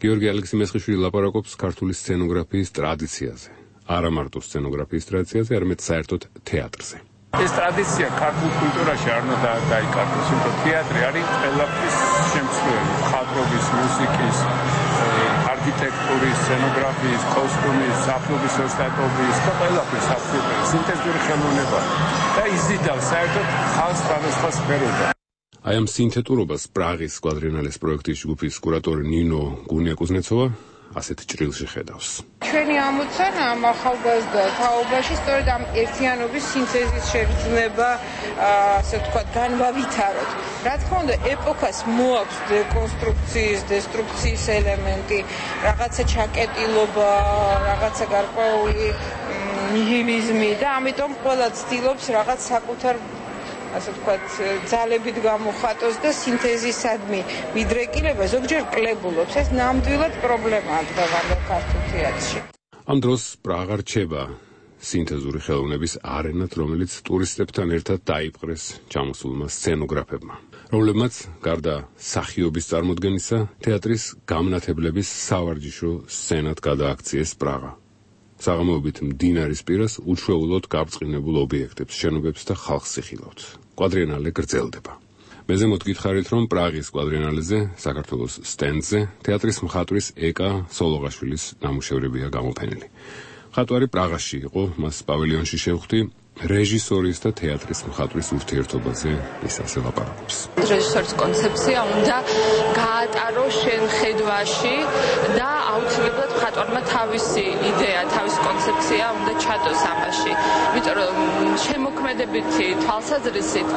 გიორგი ალექსი-მესხიშვილი ლაპარაკობს ქართული სცენოგრაფიის ტრადიციაზე. არა მარტო სცენოგრაფიის ტრადიციაზე, არამედ საერთოდ თეატრზე. ეს ტრადიცია ქართულ კულტურაში არ უნდა დაიკარგოს, იმიტომ თეატრი არის ყველაფრის შემცვლელი, მხატვრობის, მუსიკის, არქიტექტურის, სცენოგრაფიის, კოსტუმის, საფლობის ოსტატობის და ყველაფრის აბსოლუტური სინთეზური ხელოვნება და იზიდავს საერთოდ ხალხს სხვადასხვა სფეროდან. აი ამ სინთეტურობას პრაღის კვადრინალეს პროექტის ჯგუფის კურატორი ნინო გუნია კუზნეცოვა ასეთ ჭრილში ხედავს. ჩვენი ამოცანა ამ ახალგაზრდა თაობაში სწორედ ამ ერთიანობის სინთეზის შეგრძნება, ასე ვთქვათ, განვავითაროთ. რა თქმა უნდა, ეპოქას მოაქვს დეკონსტრუქციის, დესტრუქციის ელემენტი, რაღაცა ჩაკეტილობა, რაღაცა გარკვეული ნიჰილიზმი და ამიტომ ყველა ცდილობს რაღაც საკუთარ ასე ვთქვათ, ძალებით გამოხატოს და სინთეზისადმი მიდრეკილება ზოგჯერ კლებულობს. ეს ნამდვილად პრობლემაა დღევანდელ ქართულ თეატრში. ამ დროს პრაღა რჩება სინთეზური ხელოვნების არენად, რომელიც ტურისტებთან ერთად დაიპყრეს ჩამოსულმა სცენოგრაფებმა, რომლებმაც გარდა სახიობის წარმოდგენისა, თეატრის გამნათებლების სავარჯიშო სცენად გადააქციეს პრაღა. საღამოობით მდინარის პირას უჩვეულოდ გაბრწყინებულ ობიექტებს, შენობებს და ხალხს იხილავთ. კვადრინალე გრძელდება. მე ზემოთ გითხარით, რომ პრაღის კვადრინალეზე, საქართველოს სტენდზე, თეატრის მხატვრის ეკა სოლოღაშვილის ნამუშევრებია გამოფენილი. მხატვარი პრაღაში იყო, მას პავილიონში შევხვდი, რეჟისორის და თეატრის მხატვრის ურთიერთობაზე ის ასე ლაპარაკობს. რეჟისორის კონცეფცია უნდა გაატაროს შენხედვაში და აუცილებლად მხატვარმა თავისი იდეა, თავისი კონცეფცია უნდა ჩადოს ამაში. იმიტომ რომ შემოქმედებითი თვალსაზრისით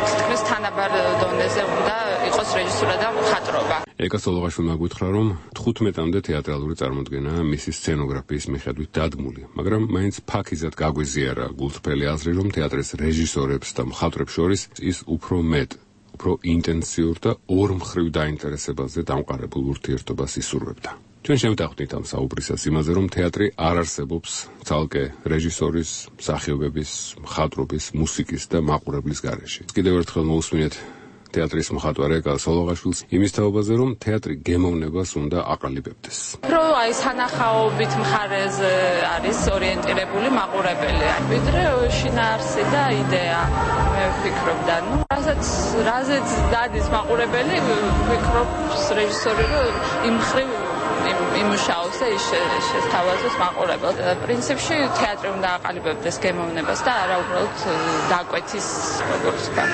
თითქმის თანაბარ დონეზე უნდა იყოს რეჟისურა და მხატვრობა. ეკა სოლოღაშვილმა გითხრა, რომ თხუთმეტამდე თეატრალური წარმოდგენაა მისი სცენოგრაფიის მიხედვით დადგმული, მაგრამ მაინც ფაქიზად გაგვიზიარა გულწრფელი აზრი, რომ თეატრის რეჟისორებს და მხატვრებს შორის ის უფრო მეტ, უფრო ინტენსიურ და ორმხრივ დაინტერესებაზე დამყარებულ ურთიერთობას ისურვებდა. ჩვენ შევდახვდით ამ საუბრისას იმაზე, რომ თეატრი არ არსებობს ცალკე რეჟისორის, მსახიობების, მხატვრობის, მუსიკის და მაყურებლის გარეშე. კიდევ ერთხელ მოусმინეთ თეატრის მხატვარ ეკა სოლოღაშვილს იმის თაობაზე, რომ თეატრი გემოვნებას უნდა აყალიბებდეს. რო აი სანახაობით მხარეზე არის ორიენტირებული მაყურებელი, ვიდრე შინაარსი და იდეა, მე ვფიქრობ და ნუ რასაც რაზეც დადის მაყურებელი, ვფიქრობს რეჟისორი, რომ იმ მხრივ იმუშაოს და ის შესთავაზოს მაყურებელს. პრინციპში თეატრი უნდა აყალიბებდეს გემოვნებას და არა უბრალოდ დაკვეთის როგორც ვთქვათ.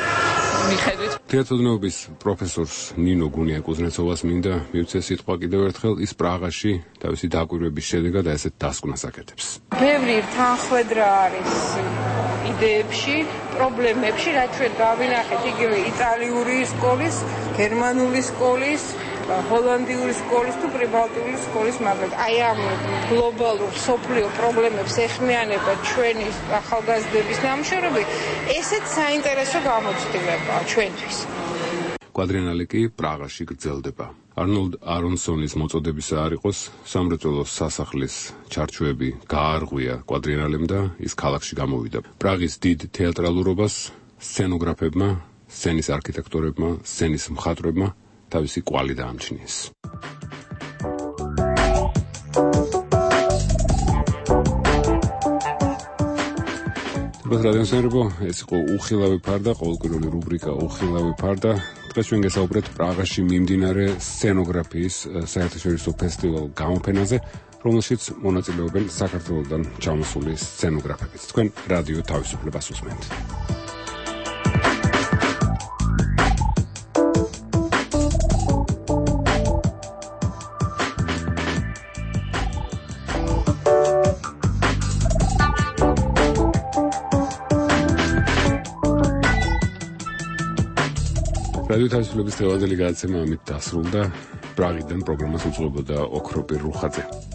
მიხედვით თეატროვნების პროფესორს ნინო გუნია კუზნეცოვას მინდა მივცე სიტყვა კიდევ ერთხელ ის პრაღაში თავისი დაკვირვების შედეგად ესეთ დასკვნას აკეთებს. ბევრი თანხwebdriver არის იდეებში, პრობლემებში, რაც ჩვენ გავინახეთ იგივე იტალიური სკოლის, გერმანული სკოლის, ჰოლანდიური სკოლის თუ პრიბალტიური სკოლის მაგალ აი ამ გლობალურ სოფლიო პრობლემებს ეხმიანება ჩვენი ახალგაზრდების ნამუშევრები, ესეც საინტერესო გამოცდილებაა ჩვენთვის. კვადრინალე კი პრაღაში გრძელდება. არნოლდ არონსონის მოწოდებისა არ იყოს სამრეწველო სასახლის ჩარჩოები გაარღვია კვადრინალემ და ის ქალაქში გამოვიდა. პრაღის დიდ თეატრალურობას სცენოგრაფებმა სცენის არქიტექტორებმა, სცენის მხატვრებმა თავისი კვალი დაამჩნიეს. რადიოსერბო ეს იყო უხილავი ფარდა, ყოველკვირეული რუბრიკა უხილავი ფარდა. დღეს ჩვენ გესაუბრეთ პრაღაში მიმდინარე სცენოგრაფიის საერთაშორისო ფესტივალ გამოფენაზე, რომელშიც მონაწილეობენ საქართველოსდან ჩამოსული სცენოგრაფები. თქვენ რადიო თავისუფლებას უსმენთ. რადიო თავისუფლების თელევიზიური გადაცემა ამით დასრულდა. პრაღიდან პროგრამას უძღვებოდა ოქროპირ რუხაძე.